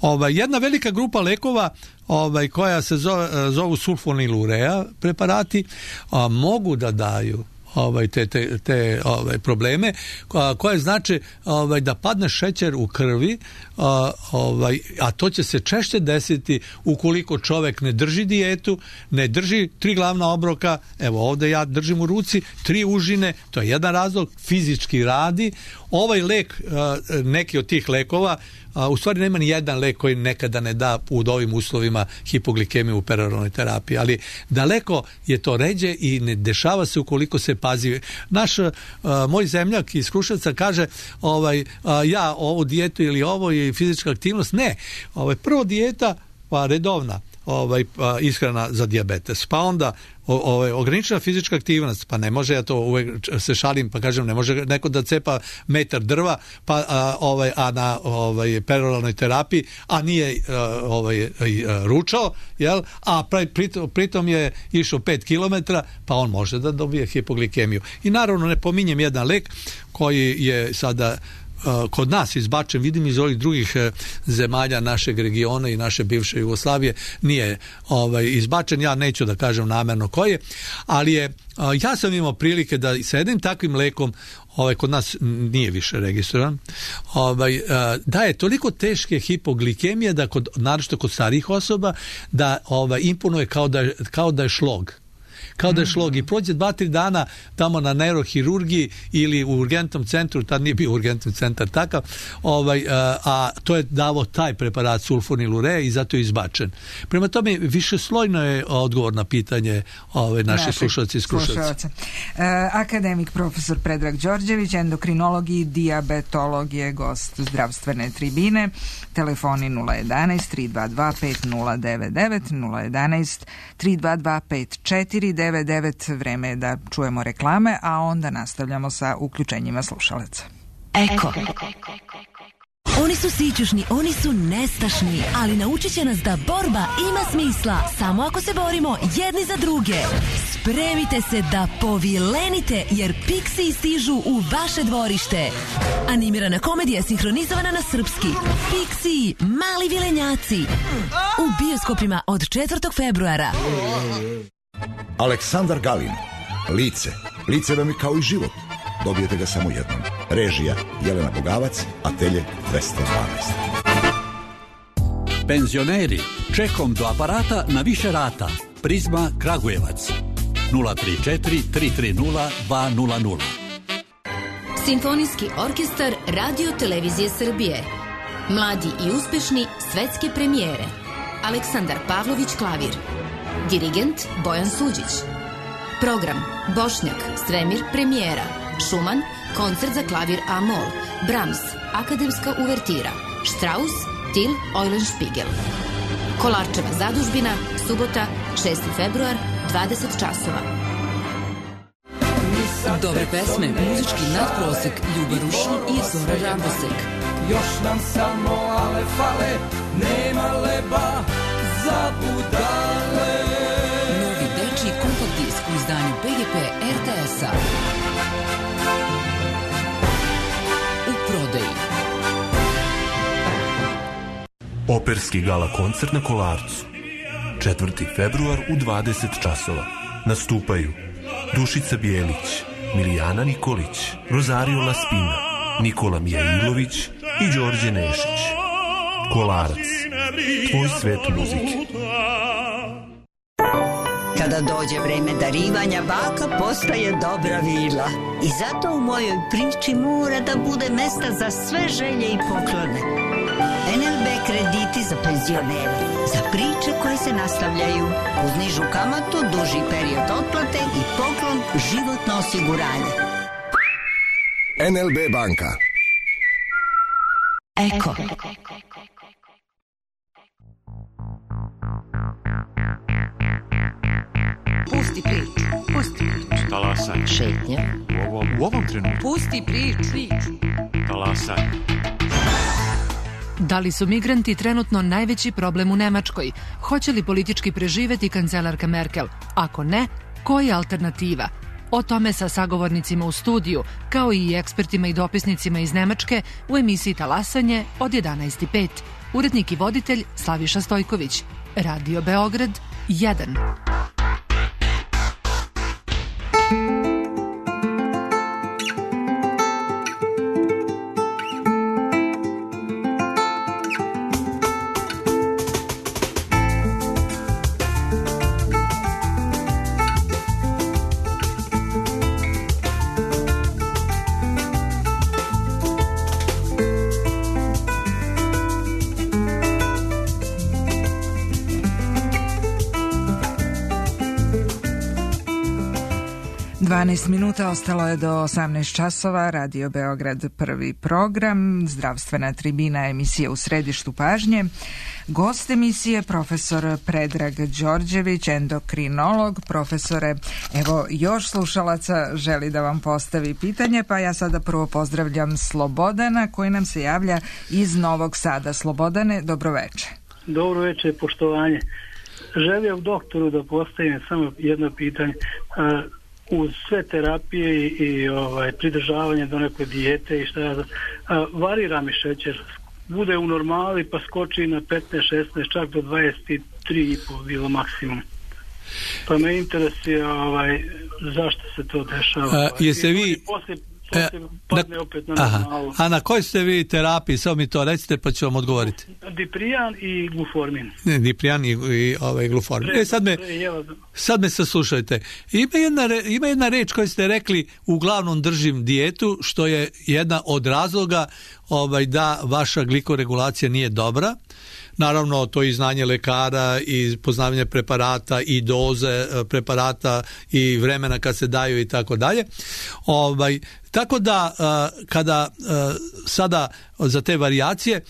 ovaj, jedna velika grupa lekova ovaj, koja se zove, zovu sulfonilurea preparati, a, mogu da daju ovaj te te te ovaj probleme a, koje znači ovaj da padne šećer u krvi, a, ovaj a to će se češće desiti ukoliko čovjek ne drži dijetu, ne drži tri glavna obroka. Evo ovdje ja držim u ruci tri užine, to je jedan razlog, fizički radi. Ovaj lek, a, neki od tih lekova, a, u stvari nema ni jedan lek koji nekada ne da u ovim uslovima hipoglikemiju u peroralnoj terapiji, ali daleko je to ređe i ne dešava se ukoliko se pazi. Naš a, moj zemljak iz Kruševca kaže ovaj a, ja ovu dijetu ili ovo je fizička aktivnost, ne. Ovaj prvo dijeta pa redovna. ovaj, ishrana za dijabetes. Pa onda ovaj, ograničena fizička aktivnost, pa ne može, ja to uvek se šalim pa kažem, ne može neko da cepa metar drva pa, a, ovaj, a na ovaj, peroralnoj terapiji, a nije ovaj, ručao, jel? A pritom, pritom je išao pet kilometara, pa on može da dobije hipoglikemiju. I naravno ne pominjem jedan lek koji je sada kod nas izbačen, vidim iz ovih drugih zemalja našeg regiona i naše bivše Jugoslavije nije ovaj, izbačen, ja neću da kažem namerno koji je, ali je, ja sam imao prilike da sa jednim takvim lekom, ovaj, kod nas nije više registrovan, ovaj, da je toliko teške hipoglikemije da kod, naročito kod starijih osoba, da ovaj, imponuje kao da, kao da je šlog. Kao da je šlog i prođe dva, tri dana tamo na neurohirurgiji ili u urgentnom centru, tad nije bio urgentni centar takav, ovaj, a, a to je davo taj preparat sulfonilure i zato je izbačen. Prema tome, višeslojno je odgovor na pitanje ovaj, naših slušalci i slušalci. Uh, akademik profesor Predrag Đorđević, endokrinolog i dijabetolog je gost zdravstvene tribine. Telefoni nula jedanaest tri dva dva pet nula devet devet, nula jedanaest tri dva dva pet četiri devet devet. Vreme je da čujemo reklame, a onda nastavljamo sa uključenjima slušalaca. Eko. Oni su sićušni, oni su nestašni, ali naučit će nas da borba ima smisla samo ako se borimo jedni za druge. Spremite se da povilenite, jer Pixiji stižu u vaše dvorište. Animirana komedija sinhronizovana na srpski. Pixiji, mali vilenjaci. U bioskopima od četvrtog februara. Aleksandar Galin. Lice. Lice vam je kao i život. Dobijete ga samo jednom. Režija Jelena Bogavac, atelje dvesta dvanaest. Penzioneri, čekom do aparata na više rata. Prizma Kragujevac. nula tri četiri tri tri nula dva nula nula. Simfonijski orkestar Radio Televizije Srbije. Mladi i uspešni svetske premijere. Aleksandar Pavlović klavir. Dirigent Bojan Suđić. Program Bošnjak, Stremir, premijera. Šuman, koncert za klavir A-mol. Brahms, akademska uvertira. Strauss, Til, Eulenspiegel. Kolarčeva zadužbina, subota, šesti februar, dvadeset časova. Dobre pesme, muzički nadprosek, Ljuba Rušin i Zora Rambosek. Još nam samo ale fale, nema leba za budale. Novi dečiji kompakt disk u izdanju P G P R T S-a. U prodaji. Operski gala koncert na Kolarcu. četvrti februar u dvadeset časova. Nastupaju Dušica Bijelić, Milijana Nikolić, Rosario Laspina, Nikola Mijailović i Đorđe Nešić. Kolarac. Tvoj svet muzike. Kada dođe vreme darivanja, baka postaje dobra vila. I zato u mojoj priči mora da bude mesta za sve želje i poklone. en el be krediti za penzionere, za priče koje se nastavljaju, uz nižu kamatu, duži period otplate i poklon životno osiguranje. en el be banka. Eko. Pusti priču, pusti priču. Talasaj. Šetnja. U ovom, u ovom trenutku. Pusti priču. Talasaj. Da li su migranti trenutno najveći problem u Nemačkoj? Hoće li politički preživeti kancelarka Merkel? Ako ne, koja je alternativa? O tome sa sagovornicima u studiju, kao i ekspertima i dopisnicima iz Nemačke u emisiji Talasanje od jedanaest i pet. Urednik i voditelj Slaviša Stojković. Radio Beograd jedan. dvanaest minuta ostalo je do osamnaest časova. Radio Beograd, prvi program, zdravstvena tribina, emisija u središtu pažnje. Gost emisije profesor Predrag Đorđević, endokrinolog. Profesore, evo još slušalaca želi da vam postavi pitanje, pa ja sada prvo pozdravljam Slobodana koji nam se javlja iz Novog Sada. Slobodane, dobroveče. Dobro večer, poštovanje. Želio u doktoru da postavim samo jedno pitanje. Uz sve terapije i, i ovaj, pridržavanje do neke dijete i šta ja znam, varira mi šećer. Bude u normali pa skoči na petnaest šesnaest, čak do dvadeset tri i pol bilo maksimum. Pa me interesuje ovaj, zašto se to dešava. A, jeste vi... Poslije, poslije padne opet na normalu. A na kojoj ste vi terapiji? Samo mi to recite pa ću vam odgovoriti. Diprijan i gluformin. Ne, Diprijan i, i ovaj, gluformin. Pre, e, sad me, sad me saslušajte. Ima jedna, ima jedna reč koju ste rekli, uglavnom držim dijetu, što je jedna od razloga ovaj, da vaša glikoregulacija nije dobra. Naravno, to je i znanje lekara i poznavanje preparata i doze preparata i vremena kad se daju i tako dalje. Ovaj, tako da kada sada za te varijacije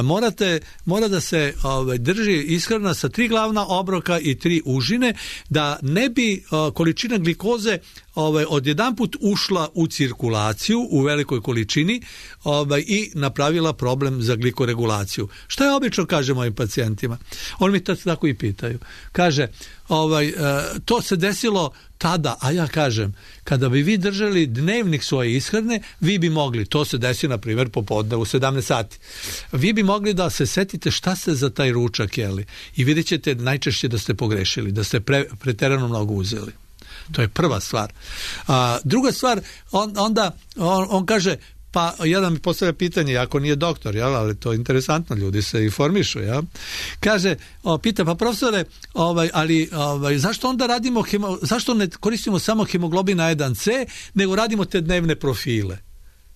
morate, mora da se drži ishrana sa tri glavna obroka i tri užine, da ne bi količina glikoze ovaj, odjedanput ušla u cirkulaciju u velikoj količini ovaj, i napravila problem za glikoregulaciju. Šta ja obično kažem mojim pacijentima? Oni mi to tako i pitaju. Kaže, ovaj, to se desilo tada, a ja kažem, kada bi vi držali dnevnik svoje ishrane, vi bi mogli, to se desi na primjer popodne u sedamnaest sati, vi bi mogli da se setite šta ste za taj ručak jeli i vidjet ćete najčešće da ste pogrešili, da ste pre, preterano mnogo uzeli. To je prva stvar. A, druga stvar, on, onda on, on kaže, pa jedan mi postavlja pitanje, ako nije doktor, jel, ali to je interesantno, ljudi se informišu, jel? Kaže, o, pita, pa profesore, ovaj, ali ovaj, zašto onda radimo, hemo, zašto ne koristimo samo hemoglobin A jedan C, nego radimo te dnevne profile,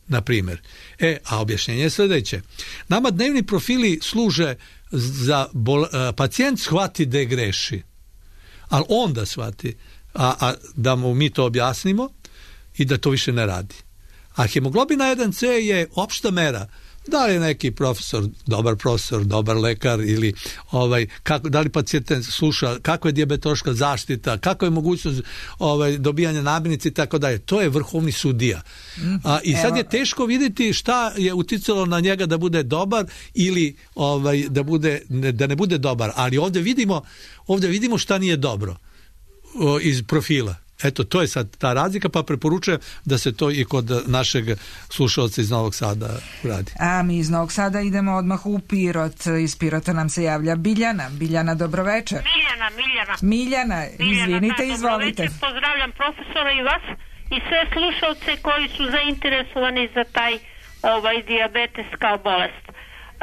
na primjer. E, a objašnjenje je sljedeće. Nama dnevni profili služe za bol, a, pacijent shvati da greši, ali onda shvati, a, a da mu mi to objasnimo i da to više ne radi. A hemoglobin A jedan C je opšta mera. Da li je neki profesor, dobar profesor, dobar lekar ili ovaj, kako, da li pacijent sluša, kako je dijabetološka zaštita, kako je mogućnost ovaj, dobijanja namirnice i tako dalje. To je vrhovni sudija. A, I sad je teško vidjeti šta je uticalo na njega da bude dobar ili ovaj, da, bude, ne, da ne bude dobar. Ali ovdje vidimo, ovdje vidimo šta nije dobro o, iz profila. Eto, to je sad ta razlika, pa preporučujem da se to i kod našeg slušalca iz Novog Sada radi. A mi iz Novog Sada idemo odmah u Pirot. Iz Pirota nam se javlja Biljana. Biljana, dobroveče. Miljana, Miljana. Miljana, izvinite, Miljana, izvolite. Dobroveče, pozdravljam profesora i vas i sve slušalce koji su zainteresovani za taj ovaj dijabetes kao bolest.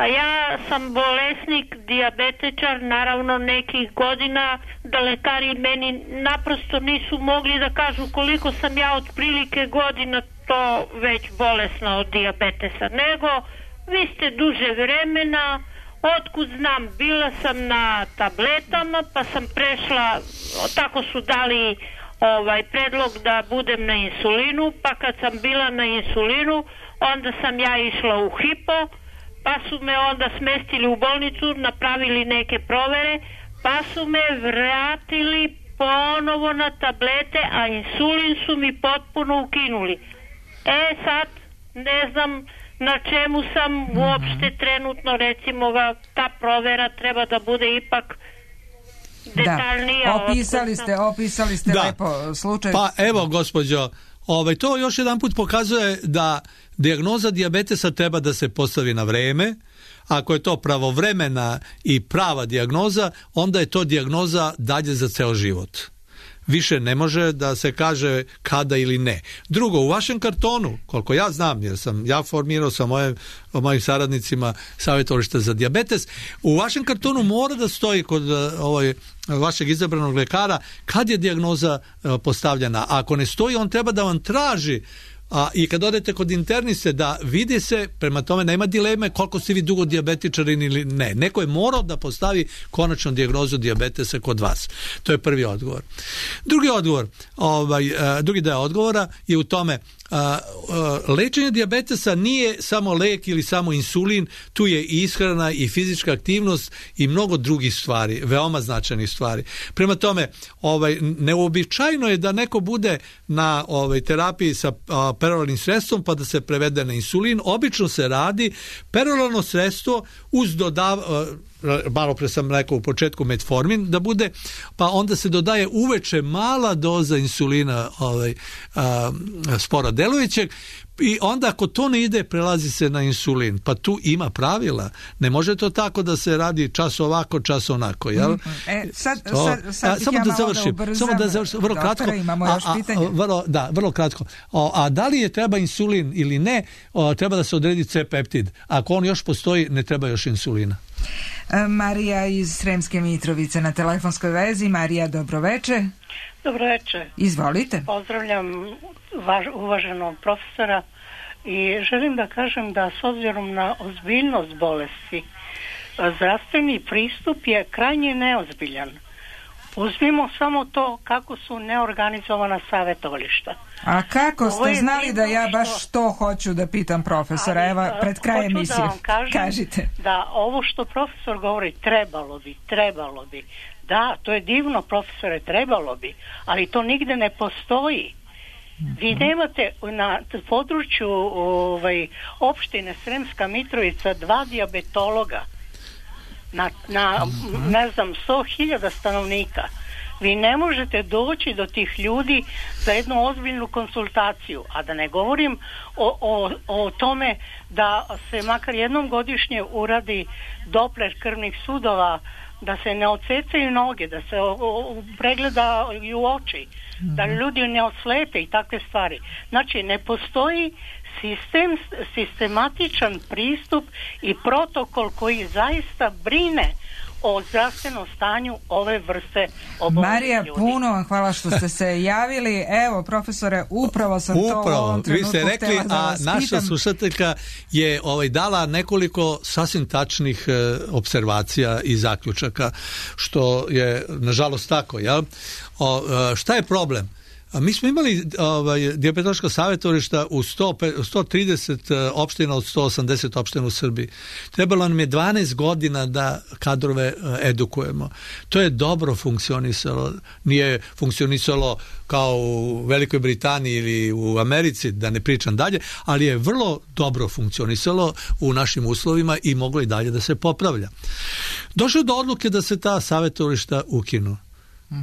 A ja sam bolesnik, dijabetičar, naravno nekih godina, da lekari meni naprosto nisu mogli da kažu koliko sam ja otprilike godina to već bolesna od dijabetesa, nego vi ste duže vremena, otkud znam, bila sam na tabletama pa sam prešla, tako su dali ovaj predlog da budem na insulinu, pa kad sam bila na insulinu onda sam ja išla u hipo, pa su me onda smestili u bolnicu, napravili neke provere, pa su me vratili ponovo na tablete, a insulin su mi potpuno ukinuli. E sad, ne znam na čemu sam uopšte trenutno, recimo ta provera treba da bude ipak detaljnija. Da, opisali ste, opisali ste da. lepo slučaj. Pa evo, gospođo, ovaj, to još jedan put pokazuje da dijagnoza dijabetesa treba da se postavi na vreme. Ako je to pravovremena i prava dijagnoza, onda je to dijagnoza dalje za ceo život. Više ne može da se kaže kada ili ne. Drugo, u vašem kartonu, koliko ja znam, jer sam ja formirao sa mojim, mojim saradnicima savjetovališta za dijabetes, u vašem kartonu mora da stoji kod ovaj, vašeg izabranog lekara kad je dijagnoza postavljena. A ako ne stoji, on treba da vam traži A, i kad odete kod interniste da vidi se, prema tome nema dileme koliko ste vi dugo dijabetičari ili ne. Neko je morao da postavi konačnu dijagnozu dijabetesa kod vas. To je prvi odgovor. Drugi odgovor, ovaj, drugi deo odgovora je u tome A, a, lečenje dijabetesa nije samo lek ili samo insulin, tu je i ishrana i fizička aktivnost i mnogo drugih stvari, veoma značajnih stvari. Prema tome, ovaj, neuobičajeno je da neko bude na ovaj, terapiji sa a, peroralnim sredstvom pa da se prevede na insulin. Obično se radi peroralno sredstvo uz dodav, malo pre sam rekao u početku metformin, da bude, pa onda se dodaje uveče mala doza insulina ovaj, a, sporo delujućeg, i onda ako to ne ide prelazi se na insulin, pa tu ima pravila, ne može to tako da se radi čas ovako, čas onako, jel? E, sad, sad, sad a, samo, ja da završim, da samo da završim, vrlo Doktore, kratko, imamo još a, pitanje. a, vrlo, da, vrlo kratko, o, a da li je treba insulin ili ne, o, treba da se odredi C-peptid, ako on još postoji, ne treba još insulina. Marija iz Sremske Mitrovice na telefonskoj vezi. Marija, dobroveče. Dobroveče. Izvolite. Pozdravljam važ, uvaženog profesora i želim da kažem da s obzirom na ozbiljnost bolesti, zdravstveni pristup je krajnje neozbiljan. Uzmimo samo to kako su neorganizovana savjetovališta. A kako ste znali da ja baš što... to hoću da pitam profesora? Ali, Evo, pred kraj emisije. Da vam kažem, kažite. Da ovo što profesor govori trebalo bi, trebalo bi. Da, to je divno, profesore, trebalo bi, ali to nigde ne postoji. Vi nemate na području ovaj, opštine Sremska Mitrovica dva dijabetologa na, na ne znam, sto hiljada stanovnika. Vi ne možete doći do tih ljudi za jednu ozbiljnu konsultaciju, a da ne govorim o, o, o tome da se makar jednom godišnje uradi Doppler krvnih sudova, da se ne odsecaju noge, da se o, o, pregledaju oči, da ljudi ne oslepe i takve stvari. Znači, ne postoji sistem, sistematičan pristup i protokol koji zaista brine o zdravstvenom stanju ove vrste oboljenja. Marija, ljudi. puno vam hvala što ste se javili. Evo, profesore, upravo sam upravo, to u ovom trenutku vi ste rekli, da a naša pitam. slušateljka je ovaj, dala nekoliko sasvim tačnih e, observacija i zaključaka, što je nažalost tako. Jel? O, e, šta je problem? A mi smo imali ovaj, dijabetološka savjetovališta u sto, sto trideset opština od sto osamdeset opština u Srbiji. Trebalo nam je dvanaest godina da kadrove edukujemo. To je dobro funkcionisalo. Nije funkcionisalo kao u Velikoj Britaniji ili u Americi, da ne pričam dalje, ali je vrlo dobro funkcionisalo u našim uslovima i moglo i dalje da se popravlja. Došlo do odluke da se ta savjetovališta ukinu.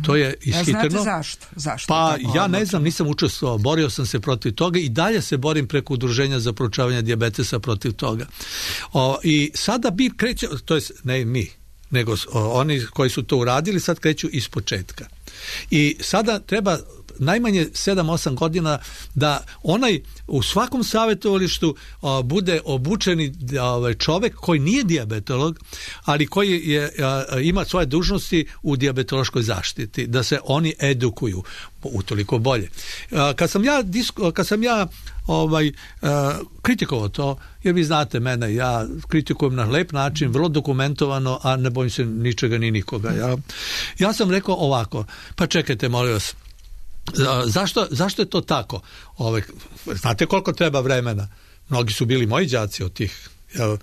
To je ishitreno. A znate zašto? zašto pa ja ne znam, nisam učestvovao, borio sam se protiv toga i dalje se borim preko udruženja za proučavanje dijabetesa protiv toga. O, I sada bi kreće, to je ne mi, nego o, oni koji su to uradili sad kreću iz početka. I sada treba najmanje sedam osam godina da onaj u svakom savjetovalištu a, bude obučeni a, čovek koji nije dijabetolog, ali koji je, a, ima svoje dužnosti u dijabetološkoj zaštiti, da se oni edukuju, utoliko bolje. A, kad sam ja, disko, kad sam ja ovaj, a, kritikovao to, jer vi znate mene, ja kritikujem na lep način, vrlo dokumentovano, a ne bojim se ničega ni nikoga. Ja, ja sam rekao ovako, pa čekajte, molim vas, Zašto, zašto je to tako? Ove, znate koliko treba vremena? Mnogi su bili moji đaci od tih, jel,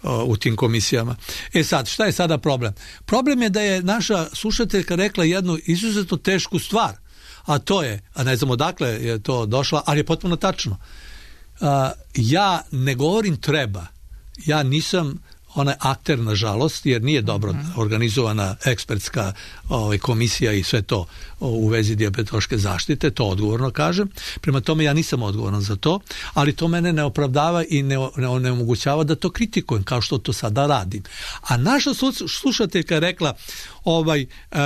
u tim komisijama. E sad, šta je sada problem? Problem je da je naša slušateljka rekla jednu izuzetno tešku stvar, a to je, a ne znam odakle je to došla, ali je potpuno tačno. A, ja ne govorim treba. Ja nisam onaj akter, nažalost, jer nije dobro uh-huh. organizovana ekspertska ovaj, komisija i sve to u vezi dijabetološke zaštite, to odgovorno kažem. Prema tome ja nisam odgovoran za to, ali to mene ne opravdava i ne, ne onemogućava da to kritikujem, kao što to sada radim. A naša slušateljka je rekla, ovaj, uh,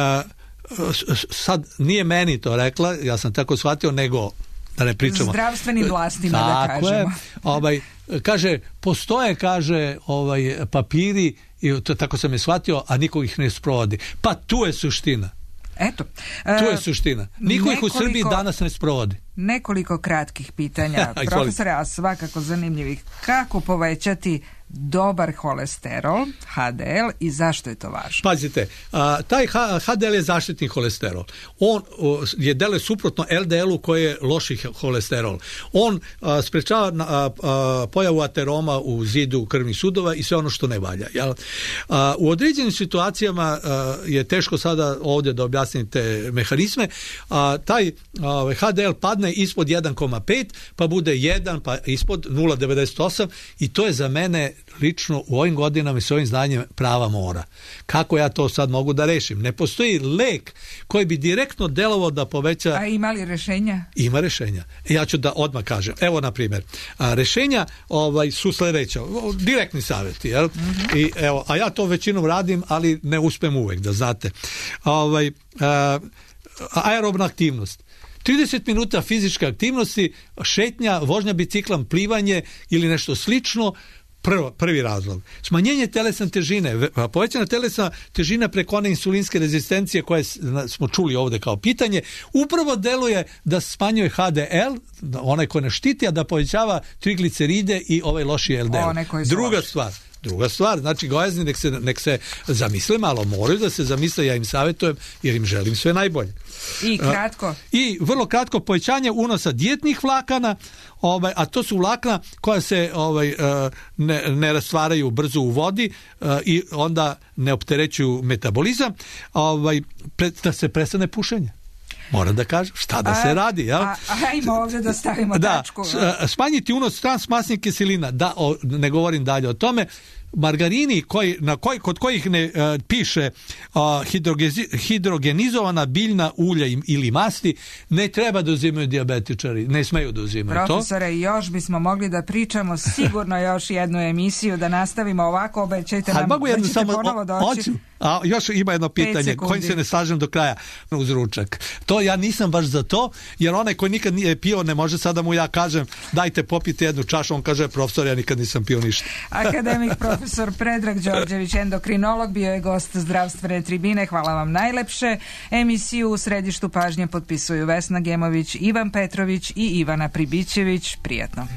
sad nije meni to rekla, ja sam tako shvatio, nego da ne pričamo. Zdravstvenim vlastima, da kažemo. Je, ovaj, kaže, postoje, kaže, ovaj, papiri, i to, tako sam je shvatio, a niko ih ne sprovodi. Pa tu je suština. Eto. Tu je suština. Niko ih u Srbiji danas ne sprovodi. Nekoliko kratkih pitanja, profesore, a svakako zanimljivih. Kako povećati dobar holesterol, H D L, i zašto je to važno? Pazite, a, taj H D L je zaštitni holesterol. On o, je deluje suprotno L D L-u koji je loši holesterol. On a, sprečava a, a, pojavu ateroma u zidu krvnih sudova i sve ono što ne valja. Jel? A, u određenim situacijama a, je teško sada ovdje da objasnite mehanizme. A, taj a, H D L padne ispod jedan zarez pet, pa bude jedan, pa ispod nula zarez devedeset osam i to je za mene lično u ovim godinama i s ovim znanjem prava mora. Kako ja to sad mogu da rešim? Ne postoji lek koji bi direktno delovao da poveća... A ima li rešenja? Ima rešenja. Ja ću da odmah kažem. Evo, na primjer, a, rešenja ovaj, su sledeća. Direktni savjeti, jel? Mm-hmm. I, evo, a ja to većinom radim, ali ne uspem uvek, da znate. Ovaj, a, aerobna aktivnost. trideset minuta fizičke aktivnosti, šetnja, vožnja biciklom, plivanje ili nešto slično, prvo, prvi razlog. Smanjenje telesne težine, povećana telesna težina preko one insulinske rezistencije koje smo čuli ovdje kao pitanje, upravo deluje da smanjuje H D L, onaj koji ne štiti, a da povećava trigliceride i ovaj loši L D L. Druga loši. stvar, Druga stvar, znači gojazni nek se, nek se zamisle malo, moraju da se zamisle, ja im savjetujem jer im želim sve najbolje. I kratko. I vrlo kratko, povećanje unosa dijetnih vlakana, ovaj, a to su vlakna koja se ovaj, ne, ne rastvaraju brzo u vodi i onda ne opterećuju metabolizam, ovaj, da se prestane pušenje. Moram da kažem, šta da a, se radi, jel? A, ajmo ovdje da stavimo da, tačku. Smanjiti unos transmasnih kiselina, da, o, ne govorim dalje o tome. Margarini koji, na koji, kod kojih ne uh, piše uh, hidrogenizovana biljna ulja ili masti, ne treba da uzimaju dijabetičari, ne smeju da uzimaju to. Profesore, još bismo mogli da pričamo sigurno još jednu emisiju, da nastavimo ovako, obećajte nam da ćete samo, ponovo doći. A još ima jedno pitanje kojim se ne slažem do kraja uz ručak. To ja nisam baš za to, jer onaj koji nikad nije pio, ne može sada mu ja kažem dajte popite jednu čašu, on kaže profesor, ja nikad nisam pio ništa. Akademik profesor Predrag Đorđević, endokrinolog, bio je gost Zdravstvene tribine. Hvala vam najlepše. Emisiju u središtu pažnje potpisuju Vesna Gemović, Ivan Petrović i Ivana Pribićević. Prijatno.